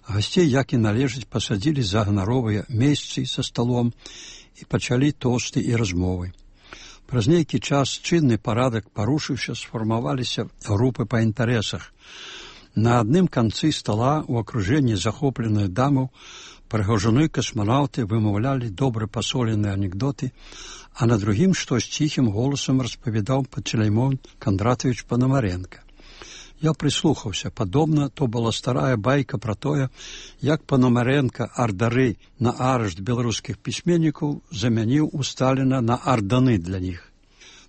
[SPEAKER 15] Гасцей, як і належыць, пасадзілі за ганаровыя месцы са сталом і пачалі тосты і размовы. Праз нейкі час чынны парадак парушыўся, сфармаваліся групы па інтарэсах. На адным канцы стала ў акружэнні захопленых дамаў прыгожаны касманаўты вымаўлялі добра пасоленыя анекдоты, а на другім штось ціхім голасам распавядаў Пантелеймон Кондратович Панамаренка. Я прыслухаўся. Падобна, то была старая байка пра тое, як Панамаренка ардары на арышт беларускіх пісьменнікаў замяніў у Сталіна на арданы для іх.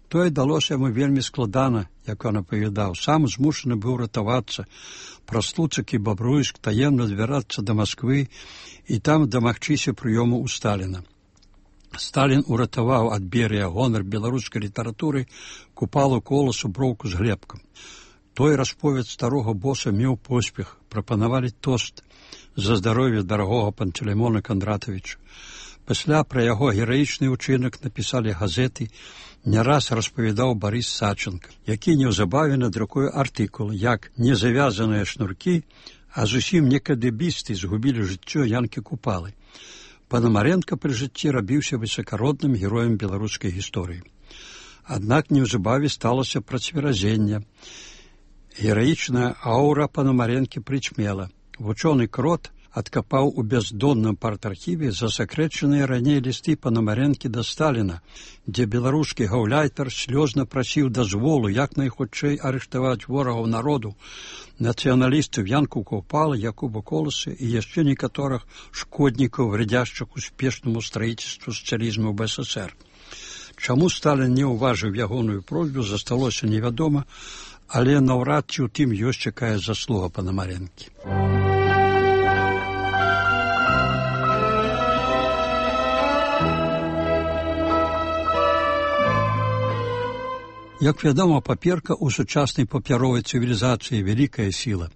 [SPEAKER 15] Тое далося яму вельмі складана, як ён апавядаў. Сам змушаны быў ратавацца, праз Луцак і Бабруйск таемна збірацца да Масквы і там дамагчыся прыёму ў Сталіна. Сталін уратаваў ад Берыя гонар беларускай літаратуры, Купалу, Коласу, Броўку з Глебкам. Той расповед старога боса меў поспех. Прапанавалі тост за здароўе дарагога Пантелеймона Кандратавіча. Пасля пра яго гераічны ўчынак напісалі газеты, не раз распавядаў Барыс Саченко, які неўзабаве надрукуе артыкул, як незавязаныя шнуркі, а зусім не кадэбісты згубілі жыццё Янкі Купалы. Панамаренка пры жыцці рабіўся высакародным героем беларускай гісторыі. Аднак неўзабаве сталася працверазенне. Гераічная аўра Панамаренкі прычмела. Вучоны Крот адкапаў у бяздонным партархіве засакрэчаныя раней лісты Панамаренкі да Сталіна, дзе беларускі гаўляйтар слёзна прасіў дазволу як найхутчэй арыштаваць ворагаў народу, нацыяналістаў Янку Купалы, Якуба Коласа і яшчэ некаторых шкоднікаў, вредяшчых успешнаму строительству сацыялізму ў БССР. Чаму Сталін не ўважыў ягоную просьбу, засталося невядома, але наўрад ці ў тым ёсць якая заслуга Панамаренкі. Як вядома, паперка ў сучаснай папяровай цывілізацыі вялікая сіла.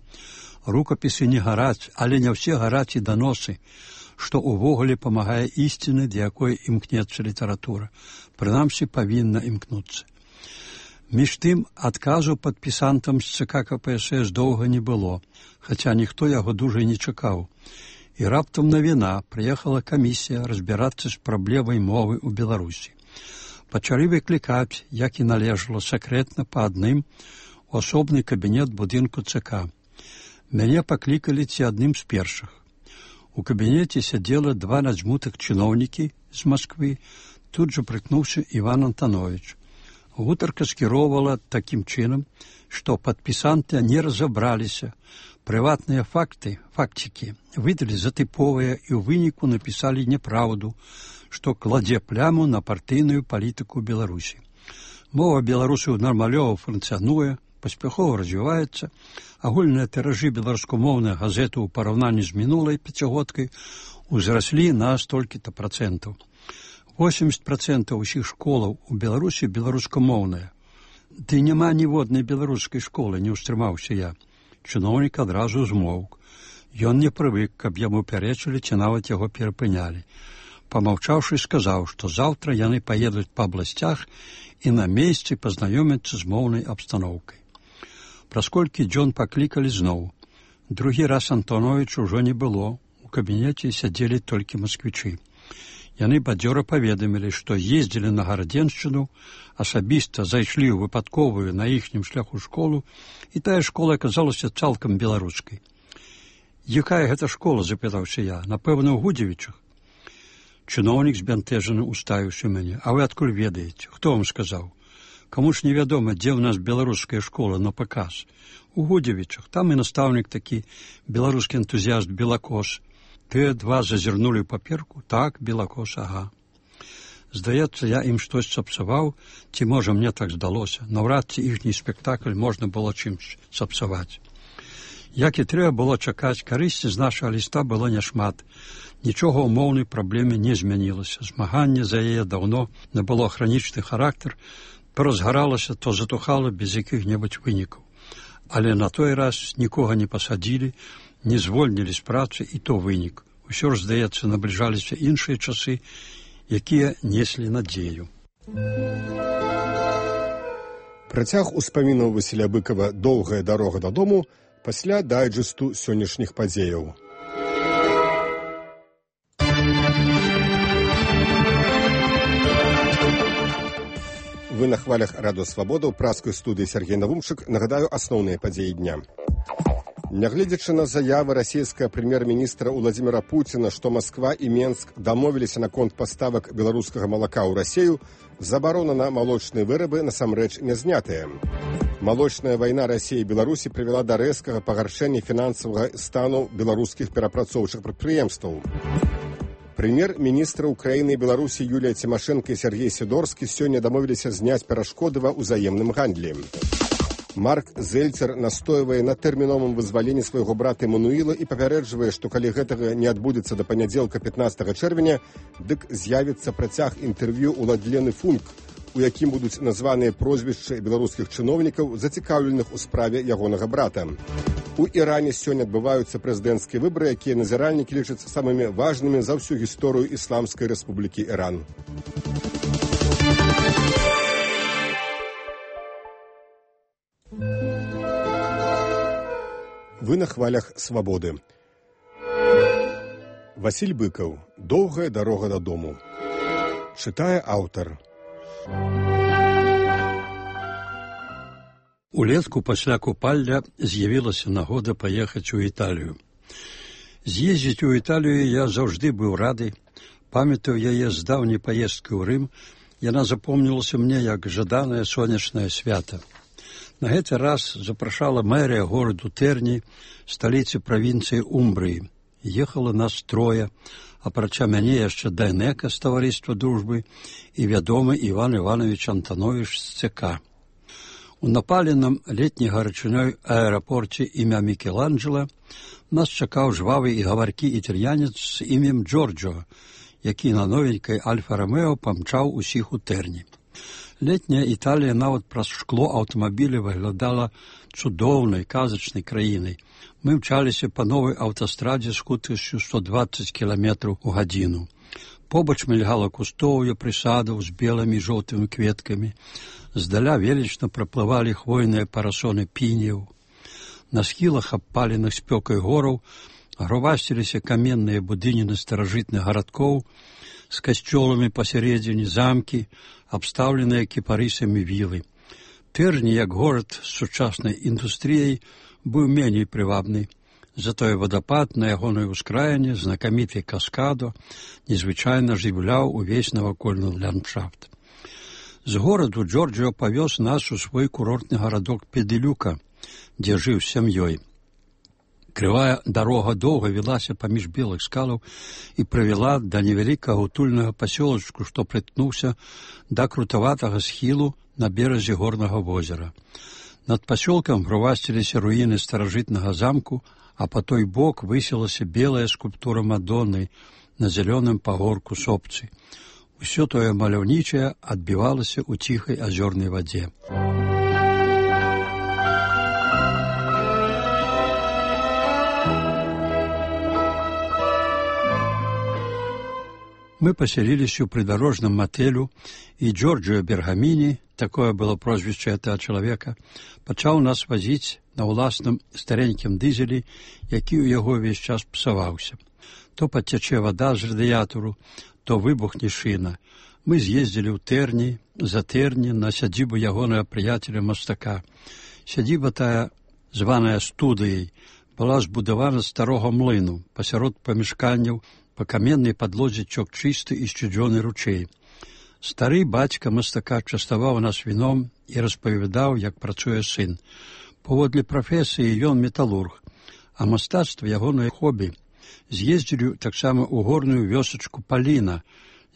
[SPEAKER 15] Рукапісы не гараць, але не ўсе гараць і даносы, што ўвогуле памагае ісціны, да якой імкнецца літаратура. Прынамсі, павінна імкнуцца. Між тым, адказу падпісантам з ЦК КПСС доўга не было, хаця ніхто яго дужа не чакаў. І раптам навіна, прыехала камісія разбірацца з праблемай мовы ў Беларусі. Пачалі выклікаць, як і належала, сакрэтна па адным у асобны кабінет будынку ЦК. Мяне паклікалі ці адным з першых. У кабінеце сядзела два надзьмутых чыноўнікі з Масквы, тут жа прыкнуўся Іван Антанович. Гутарка скіроўвала такім чынам, што падпісанты не разабраліся. Прыватныя факцікі выдалі за тыповыя і ў выніку напісалі няпраўду, што кладзе пляму на партыйную палітыку Беларусі. Мова беларусаў нармалёва функцыянуе, паспяхова развіваецца, агульныя тыражы беларускамоўных газет у параўнанні з мінулай пяцігодкай узраслі на столькі-то процентаў. 80% усіх школаў у Беларусі беларускамоўныя. Ды няма ніводнай беларускай школы, не ўстрымаўся я. Чыноўнік адразу змоўк. Ён не прывык, каб яму пярэчылі ці нават яго перапынялі. Памаўчаўшы, сказаў, што заўтра яны паедуць па абласцях і на месцы пазнаёмяцца з моўнай абстаноўкай. Праз колькі дзён паклікалі зноў. Другі раз Антоновіч ужо не было, у кабінеце сядзелі толькі масквічы. Яны бадзёра паведамілі, што ездзілі на Гарадзеншчыну, асабіста зайшлі ў выпадковую на іхнім шляху школу, і тая школа аказалася цалкам беларускай. «Якая гэта школа?» – запытаўся я. «Напэўна, ў Гудзевічах». Чыноўнік збянтэжаны уставіўся мяне. «А вы адкуль ведаеце? Хто вам сказаў? Каму ж невядома, дзе ў нас беларуская школа на паказ? У Гудзевічах. Там і настаўнік такі, беларускі энтузіяст Белакос. Тыя два зазірнулі ў паперку. Так, Белакос, ага. Здаецца, я ім штось сапсаваў, ці, можа, мне так здалося. Наўрад ці іхні спектакль можна было чымсь сапсаваць. Як і трэба было чакаць, карысці з нашага ліста было няшмат. Нічога ў моўнай праблеме не змянілася. Змаганне за яе даўно набыло хранічны характар, то разгаралася, то затухала без якіх-небудзь вынікаў. Але на той раз нікога не пасадзілі, не звольнілі з працы, і то вынік. Усё ж, здаецца, набліжаліся іншыя часы, якія неслі надзею.
[SPEAKER 2] Працяг успамінаў Васіля Быкава «Доўгая дарога дадому» пасля дайджэсту сённяшніх падзеяў. Вы на хвалях Радыё Свабода ў праскай студыі Сергей Навумчык. Нагадаю асноўныя падзеі дня. Нягледзячы на заявы расійскага прэм'ер-міністра Владзіміра Пуціна, што Масква і Менск дамовіліся наконт паставак беларускага малака ў Расію, забарона на малочныя вырабы насамрэч не знятая. Малочная вайна Расіі і Беларусі прывяла да рэзкага пагаршэння фінансавага стану беларускіх перапрацоўчых прадпрыемстваў. Прэм'ер-міністры Украіны і Беларусі Юлія Цімашэнка і Сергей Сідорскі сёння дамовіліся зняць перашкоды ва ўзаемным гандлі. Марк Зельцер настойвае на тэрміновым вызваленні свайго брата Эмануіла і папярэджвае, што калі гэтага не адбудзецца да панядзелка 15 чэрвеня, дык з'явіцца працяг інтэрв'ю ў Ладлены Функ, у якім будуць названыя прозвішчы беларускіх чыноўнікаў, зацікаўленых у справе ягонага брата. У Іране сёння адбываюцца прэзідэнцкія выбары, якія назіральнікі лічаць самымі важнымі за ўсю гісторыю Ісламскай Рэспублікі Іран. Вы на хвалях свабоды. Васіль Быкаў. Доўгая дарога дадому. Чытае аўтар.
[SPEAKER 15] Улетку пасля купалля з'явілася нагода паехаць у Італію. З'ездзіць у Італію я заўжды быў рады. Памятаю яе з даўняй паездкі ў Рым. Яна запомнілася мне як жаданае сонечнае свята. На гэты раз запрашала мэрія гораду Тэрні, сталіцы правінцыі Умбрыі. Ехала нас трое, апрача мяне яшчэ Дайнека з таварыства дружбы і вядомы Іван Іванович Антанович з ЦК. У напаленым летняй гарачынёй аэрапорце імя Мікеланджела нас чакаў жвавы і гаваркі італьянец з імем Джорджо, які на новенькай Альфа-Ромео памчаў усіх у Тэрні. Летняя Італія нават праз шкло аўтамабіля выглядала цудоўнай, казачнай краінай. Мы мчаліся па новай аўтастрадзе з хуткасцю 120 км у гадзіну. Побач мільгала кустоўе прысадаў з белымі і жоўтымі кветкамі. Здаля велічна праплывалі хвойныя парасоны пінеў. На схілах абпаленых спёкай гораў гровасціліся каменныя будыніны старажытных гарадкоў з касцёламі пасярэдзіне, замкі, абстаўленыя кіпарысамі вілы. Тэрні, як горад з сучаснай індустрыяй, быў меней прывабны. Затое вадапад на ягонай ускраіне, знакаміты каскадо, незвычайна жыўляў увесь навакольны ландшафт. З гораду Джорджио павёз нас у свой курортны гарадок Педылюка, дзе жыў з сям'ёй. Крывая дарога доўга вілася паміж белых скалаў і прывяла да невялікага утульнага пасёлачку, што прыткнуўся да крутаватага схілу на беразе горнага возера. Над пасёлкам гровасціліся руіны старажытнага замку, а па той бок высілася белая скульптура Мадонны на зялёным пагорку сопцы. Усё тое маляўнічае адбівалася ў ціхай азёрнай вадзе. Мы паселіліся ў прыдарожным матэлю, і Джорджио Бергаміні, такое было прозвішча гэтага чалавека, пачаў нас вазіць на ўласным старенькім дызелі, які ў яго ўвесь час псаваўся. То падцячэ вада з радыятару, то выбухне шына. Мы з'ездзілі ў Тэрні, за Тэрні, на сядзібу ягонага прыяцеля мастака. Сядзіба тая, званая студыяй, была збудавана з старога млыну, пасярод памяшканняў, па каменнай падлозе цёк чысты і сцюдзёны ручэй. Стары бацька мастака частаваў нас віном і распавядаў, як працуе сын. Паводле прафесіі ён металург, а мастацтва ягонае хобі. З'ездзілі таксама ў горную вёсачку Паліна,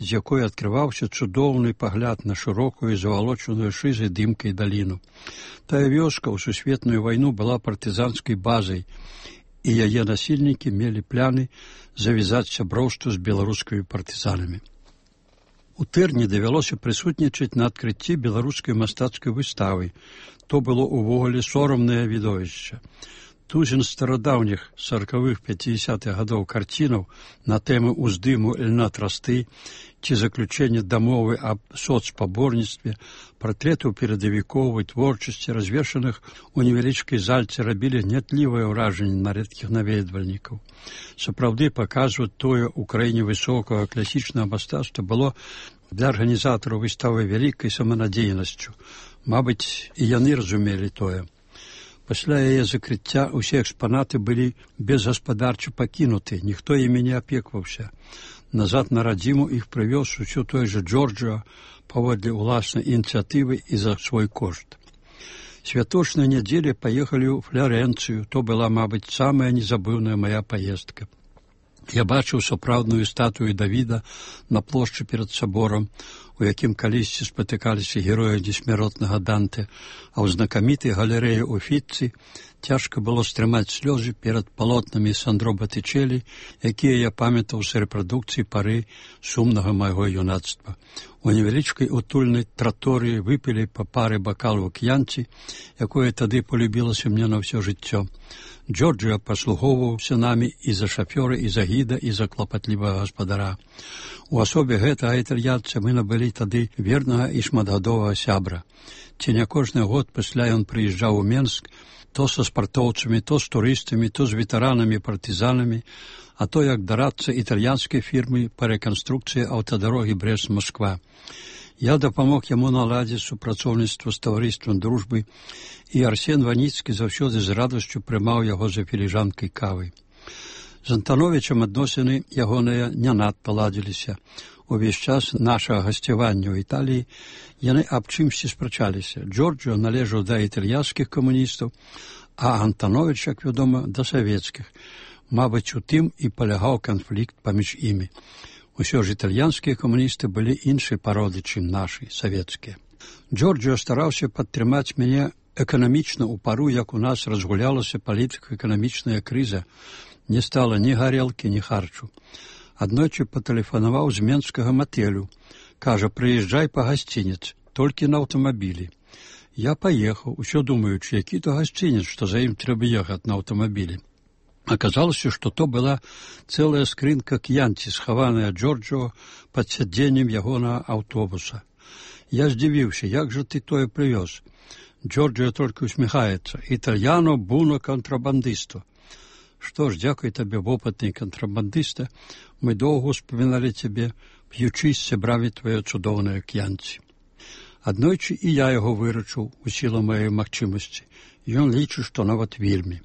[SPEAKER 15] з якой адкрываўся цудоўны пагляд на шырокую завалочаную шызай дымкай даліну. Тая вёска ў сусветную вайну была партызанскай базай, і яе насельнікі мелі пляны завязаць сяброўства з беларускімі партызанамі. У Тэрні давялося прысутнічаць на адкрыцці беларускай мастацкай выставы. То было ўвогуле сорамнае відовішча. Тузін старадаўніх 40-х, 50-х гадоў карцінаў на тэмы ўздыму льна трасты ці заключэння дамовы аб соцпаборніцтве, партрэтаў перадавікоў і творчасці, развешаных у невялічкай зальцы, рабілі гнятлівае ўражанне на рэдкіх наведвальнікаў. Сапраўды, паказваць тое ў краіне высокага класічнага мастацтва было для арганізатараў выставы вялікай саманадзейнасцю. Мабыць, і яны разумелі тое. Пасля яе закрыцця ўсе экспанаты былі безгаспадарча пакінуты, ніхто імі не апекваўся. Назад на радзіму іх прывёз усё той жа Джорджио паводле ўласнай ініцыятывы і за свой кошт. Святочнай нядзелі паехалі ў Флорэнцыю, то была, мабыць, самая незабыўная мая паездка. Я бачыў сапраўдную статую Давіда на плошчы перад саборам, у якім калісьці спатыкаліся героі несмяротнага Данте, а ў знакамітай галерэі Уфіцці Цяжка было стрымаць слёзы перад палотнамі Сандро Батычэлі, якія я памятаў з рэпрадукцыі пары сумнага майго юнацтва. У невялічкай утульнай траторыі выпілі па пары бакалу к'янці, якое тады полюбілася мне на ўсё жыццё. Джорджио паслугоўваўся намі і за шафёра, і за гіда, і за клапатлівага гаспадара. У асобе гэтага італьянца мы набылі тады вернага і шматгадовага сябра. Ці не кожны год пасля ён прыязджаў у Менск, то са спартоўцамі, то з турыстамі, то з ветэранамі-партызанамі, а то як дарадца італьянскай фірмы па рэканструкцыі аўтадарогі Брэст-Масква. Я дапамог яму наладзіць супрацоўніцтва з таварыствам дружбы, і Арсен Ваніцкі заўсёды з радасцю прымаў яго за філіжанкай кавы. З Антановічам адносіны ягоныя не надта ладзіліся. Увесь час нашага гасцявання ў Італіі яны аб чымсьці спрачаліся. Джорджио належаў да італьянскіх камуністаў, а Антановіч, як вядома, да савецкіх. Мабыць, у тым і палягаў канфлікт паміж імі. Усё ж італьянскія камуністы былі іншай пароды, чым нашы, савецкія. Джорджио стараўся падтрымаць мяне эканамічна ў пару, як у нас разгулялася палітыка-эканамічная крыза. Не стала ні гарэлкі, ні харчу. Аднойчы патэлефанаваў з менскага матэлю. Кажа, прыязджай па гасцінец, толькі на аўтамабілі. Я паехаў, усё думаючы, які то гасцінец, што за ім трэба ехаць на аўтамабілі. Аказалася, што то была цэлая скрынка к'янці, схаваная Джорджио пад сядзеннем ягонага аўтобуса. Я здзівіўся, як жа ты тое прывёз? Джорджио толькі усміхаецца. Італьяно буно кантрабандысту. Што ж, дзякуй табе, вопытны кантрабандыста, мы доўга успаміналі цябе, п'ючы з сябрамі твае цудоўныя к'янці. Аднойчы і я яго выручыў у сілу маёй магчымасці. Ён лічыць, што нават вельмі.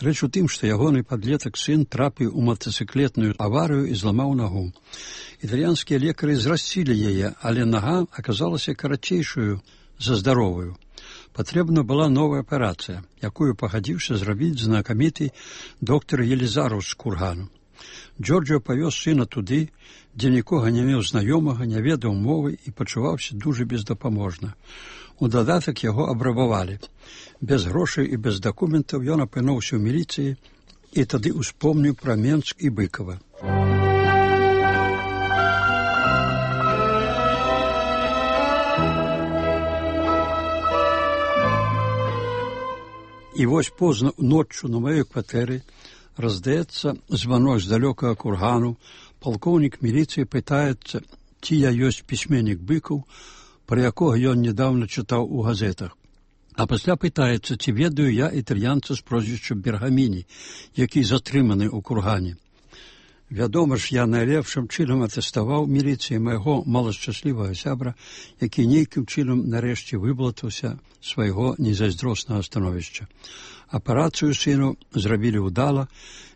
[SPEAKER 15] Рэч у тым, што ягоны падлетак сын трапіў у матацыклетную аварыю і зламаў нагу. Італьянскія лекары зрасцілі яе, але нага аказалася карацейшую за здаровую. Патрэбна была новая аперацыя, якую пагадзіўся зрабіць знакаміты доктар Елізараў з Кургану. Джорджио павёз сына туды, дзе нікога не меў знаёмага, не ведаў мовы і пачуваўся дужа бездапаможна. У дадатак яго абрабавалі. Без грошай і без дакументаў ён апынуўся ў міліцыі і тады успомніў пра Менск і Быкова. І вось позна ноччу на маёй кватэры раздаецца званок з далёкага Кургану. Палкоўнік міліцыі пытаецца, ці я ёсць пісьменнік Быкаў, пра якога ён нядаўна чытаў у газетах. А пасля пытаецца, ці ведаю я італьянца з прозвішчам Бергаміні, які затрыманы ў Кургане. Вядома ж, я найлепшым чынам атэставаў міліцыі майго малашчаслівага сябра, які нейкім чынам нарэшце выблатаўся свайго незайздроснага становішча. Аперацыю сыну зрабілі ўдала,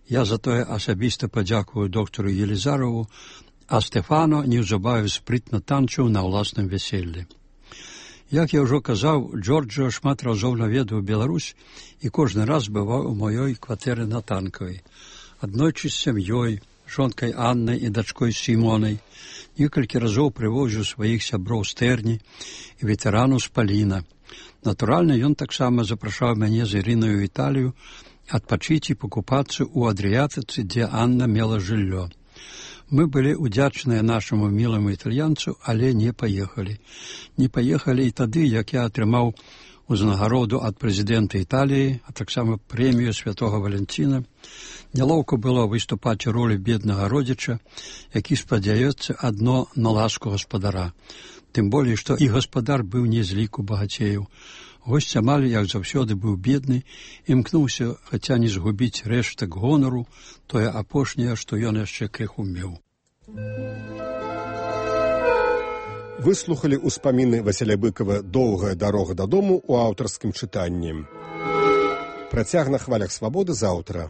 [SPEAKER 15] я затое асабіста падзякую доктару Елізарову, а Стэфано неўзабаве спрытна танчыў на ўласным вяселлі. Як я ўжо казаў, Джорджио шмат разоў наведаў Беларусь і кожны раз бываў у маёй кватэры на Танкавай. Аднойчы з сям'ёй, жонкай Аннай і дачкой Сімонай, некалькі разоў прывозіў сваіх сяброў з Тэрні і ветэранаў з Паліна. Натуральна, ён таксама запрашаў мяне з Ірынаю ў Італію адпачыць і пакупацца ў Адрыятыцы, дзе Анна мела жыллё. Мы былі ўдзячныя нашаму міламу італьянцу, але не паехалі. Не паехалі і тады, як я атрымаў узнагароду ад прэзідэнта Італіі, а таксама прэмію святога Валянціна. Нялоўка было выступаць у ролі беднага родзіча, які спадзяецца адно на ласку гаспадара. Тым болей, што і гаспадар быў не з ліку багацеяў. Госць амаль, як заўсёды, быў бедны, імкнуўся, хаця не згубіць рэштак гонару, тое апошняе, што ён яшчэ крыху меў.
[SPEAKER 2] Выслухалі ўспаміны Васіля Быкова «Доўгая дарога дадому» у аўтарскім чытанні. Працяг на хвалях свабоды заўтра.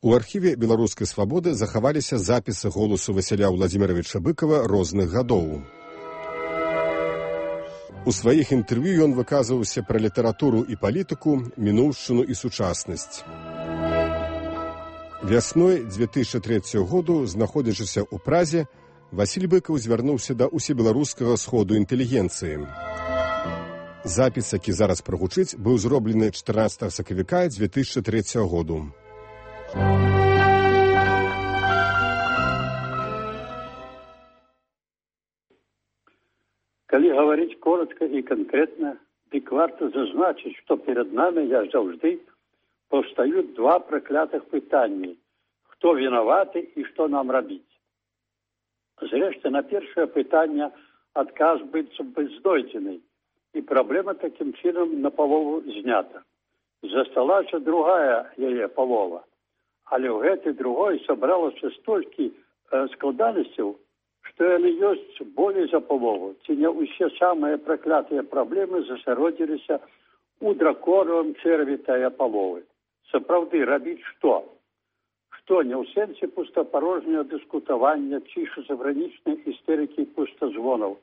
[SPEAKER 2] У архіве беларускай свабоды захаваліся запісы голасу Васіля Владзіміровича Быкова розных гадоў. У сваіх інтэрв'ю ён выказваўся пра літаратуру і палітыку, мінуўшчыну і сучаснасць. Вясной 2003 году, знаходзячыся ў Празе, Васіль Быкаў звярнуўся да усебеларускага сходу інтэлігенцыі. Запіс, які зараз прагучыць, быў зроблены 14 сакавіка 2003 году.
[SPEAKER 16] Калі говорить коротко и конкретно, дык варто зазначить, что перед нами, як завжди, повстают два проклятых пытания. Кто виноваты и что нам робить? Зрештою, на першее пытание отказ быццам бы знойдзены, и проблема таким чином напалову знята. Засталася другая яе палова, але ў гэтай другой сабралася столькі складанасцяў, што яны ёсць болей за палову, ці не ўсе самыя праклятыя праблемы засяродзіліся у драконавым чэрві тая паловы. Сапраўды, рабіць што? Што не ў сэнсе пустапарожняга дыскутавання ці шизофрэнічнай істэрыкі пустазвонаў,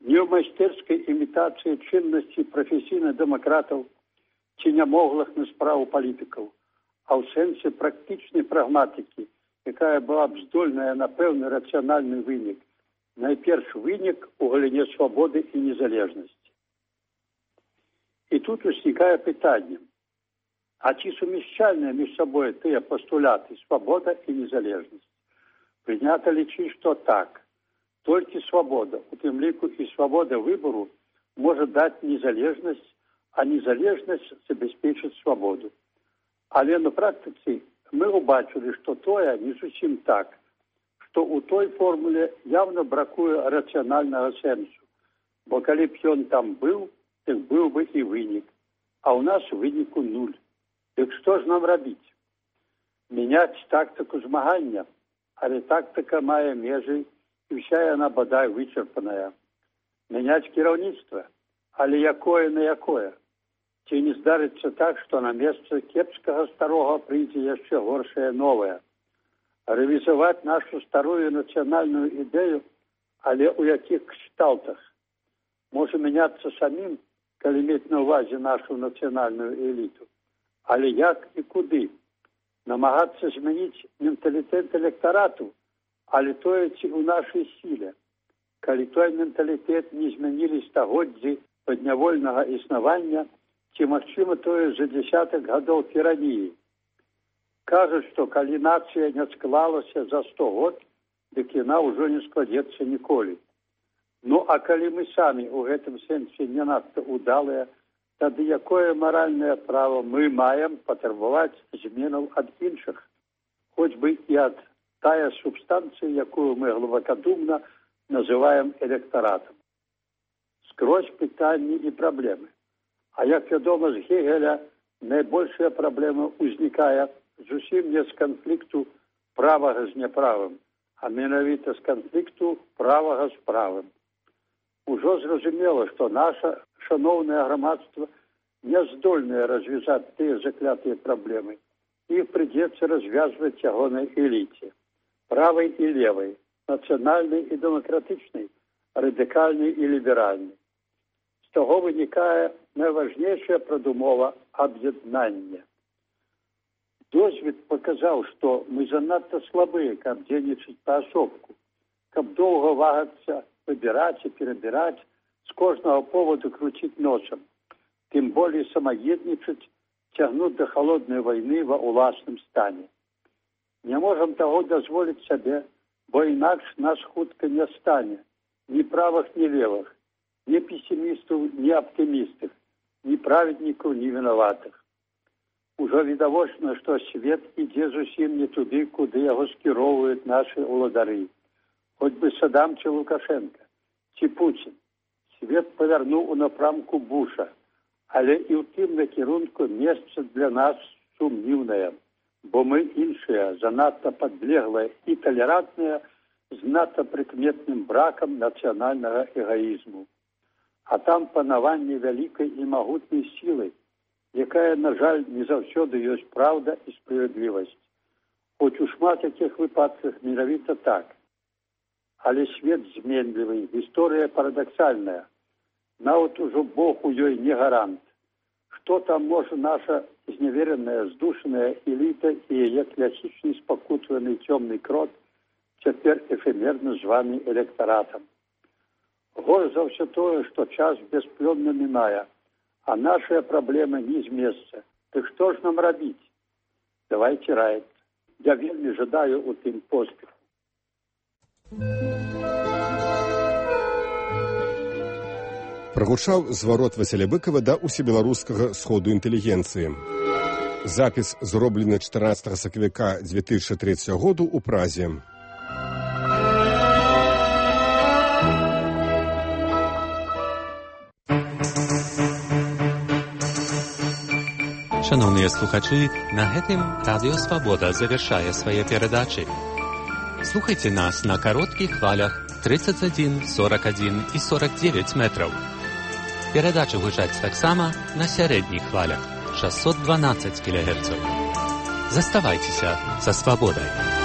[SPEAKER 16] не ў майстэрскай імітацыі чыннасці прафесійных дэмакратаў ці нямоглых на справу палітыкаў, а ў сэнсе практычнай прагматыкі, якая была б здольная на пэўны рацыянальны вынік, найперш вынік у галіне свабоды і незалежнасці. І тут узнікае пытанне, а ці сумяшчальныя між сабой тыя пастуляты свабода і незалежнасць? Прынята лічыць, што так. Толькі свабода, у тым ліку і свабода выбору, можа даць незалежнасць, а незалежнасць забяспечыць свабоду. Але на практыцы мы убачылі, што тое не зусім так, што ў той формуле явно бракуе рацыянальнага сэнсу, бо калі б ён там быў, так быў бы і вынік, а ў нас выніку нуль. Дык што ж нам рабіць? Мяняць тактыку змагання, але тактыка мае межы, і ўся яна бадай вычарпаная. Мяняць кіраўніцтва, але якое на якое? Ці не здарыцца так, што на месца кепскага старога прыйдзе яшчэ горшае новае? Рэвізаваць нашу старую нацыянальную ідэю, але ў якіх кшталтах? Можа мяняцца самім, калі мець на ўвазе нашу нацыянальную эліту. Але як і куды? Намагацца змяніць менталітэт электарату, але тое ці ў нашай сіле. Калі той менталітэт не змянілі стагоддзі паднявольнага існавання, ці магчыма тое за дзясятак гадоў тираніі. Кажуць, што калі нацыя не склалася за 100 год, дык яна ўжо не складзецца ніколі. Ну, а калі мы самі ў гэтым сэнсе не надта удалыя, тады якое маральнае права мы маем патрабаваць зменаў ад іншых, хоць бы і ад тая субстанцыя, якую мы глыбакадумна называем электаратам. Скрозь пытанні і праблемы. А як вядома, з Гегеля найбольшая праблема ўзнікае зусім не з канфлікту правага з няправым, а менавіта з канфлікту правага з правым. Ужо зразумела, што наша шаноўнае грамадства не здольнае развязаць тыя заклятыя праблемы. Іх прыйдзецца развязваць ягонай эліце. Правай і левай, нацыянальнай і дэмакратычнай, радыкальнай і ліберальнай. З таго вынікае найважнейшая прадумова аб'яднання. Досвед паказаў, што мы занадта слабыя, каб дзейнічаць паасобку, каб доўга вагацца, выбіраць і перабіраць, з кожнага поводу круціць носам, тым болей самаеднічаць, цягнуць да халоднай вайны ва ўласным стане. Не можам таго дазволіць сабе, бо інакш нас хутка не стане ні правых, ні левых, ні песімістаў, ні аптымістых, ні праведнікаў, ні вінаватых. Ужо відавочна, што свет ідзе зусім не туды, куды яго скіроўваюць нашы ўладары. Хоць бы Садам ці Лукашенка, ці Пуцін. Свет павярнуў у напрамку Буша, але і ў тым накірунку месца для нас сумнівнае, бо мы іншыя, занадта падлеглыя і талерантныя, з надта прыкметным бракам нацыянальнага эгаізму. А там панаванне вялікай і магутнай сілы, якая, на жаль, не заўсёды ёсць праўда і справядлівасць. Хоць у шмат якіх выпадках менавіта так. Але свет зменлівы, гісторыя парадаксальная. Нават ужо Бог у ёй не гарант. Што там можа наша зневераная, здушаная эліта і яе класічны спакутваны цёмны крот, цяпер эфемерна званы электаратам. Горш за ўсё тое, што час бясплённа мінае, а нашыя праблемы не з месца. Дык што ж нам рабіць? Давайце раіць. Я вельмі жадаю у тым поспеху.
[SPEAKER 2] Прагучаў зварот Васіля Быкава да усебеларускага сходу інтэлігенцыі. Запіс зроблены 14 сакавіка 2003 году ў Празе.
[SPEAKER 17] Шановныя слухачы, на гэтым Радыё Свабода завяршае свае перадачы. Слухайце нас на кароткіх хвалях 31, 41 і 49 метраў. Перадачы гучаць таксама на сярэдніх хвалях 612 кГц. Заставайцеся са свабодай.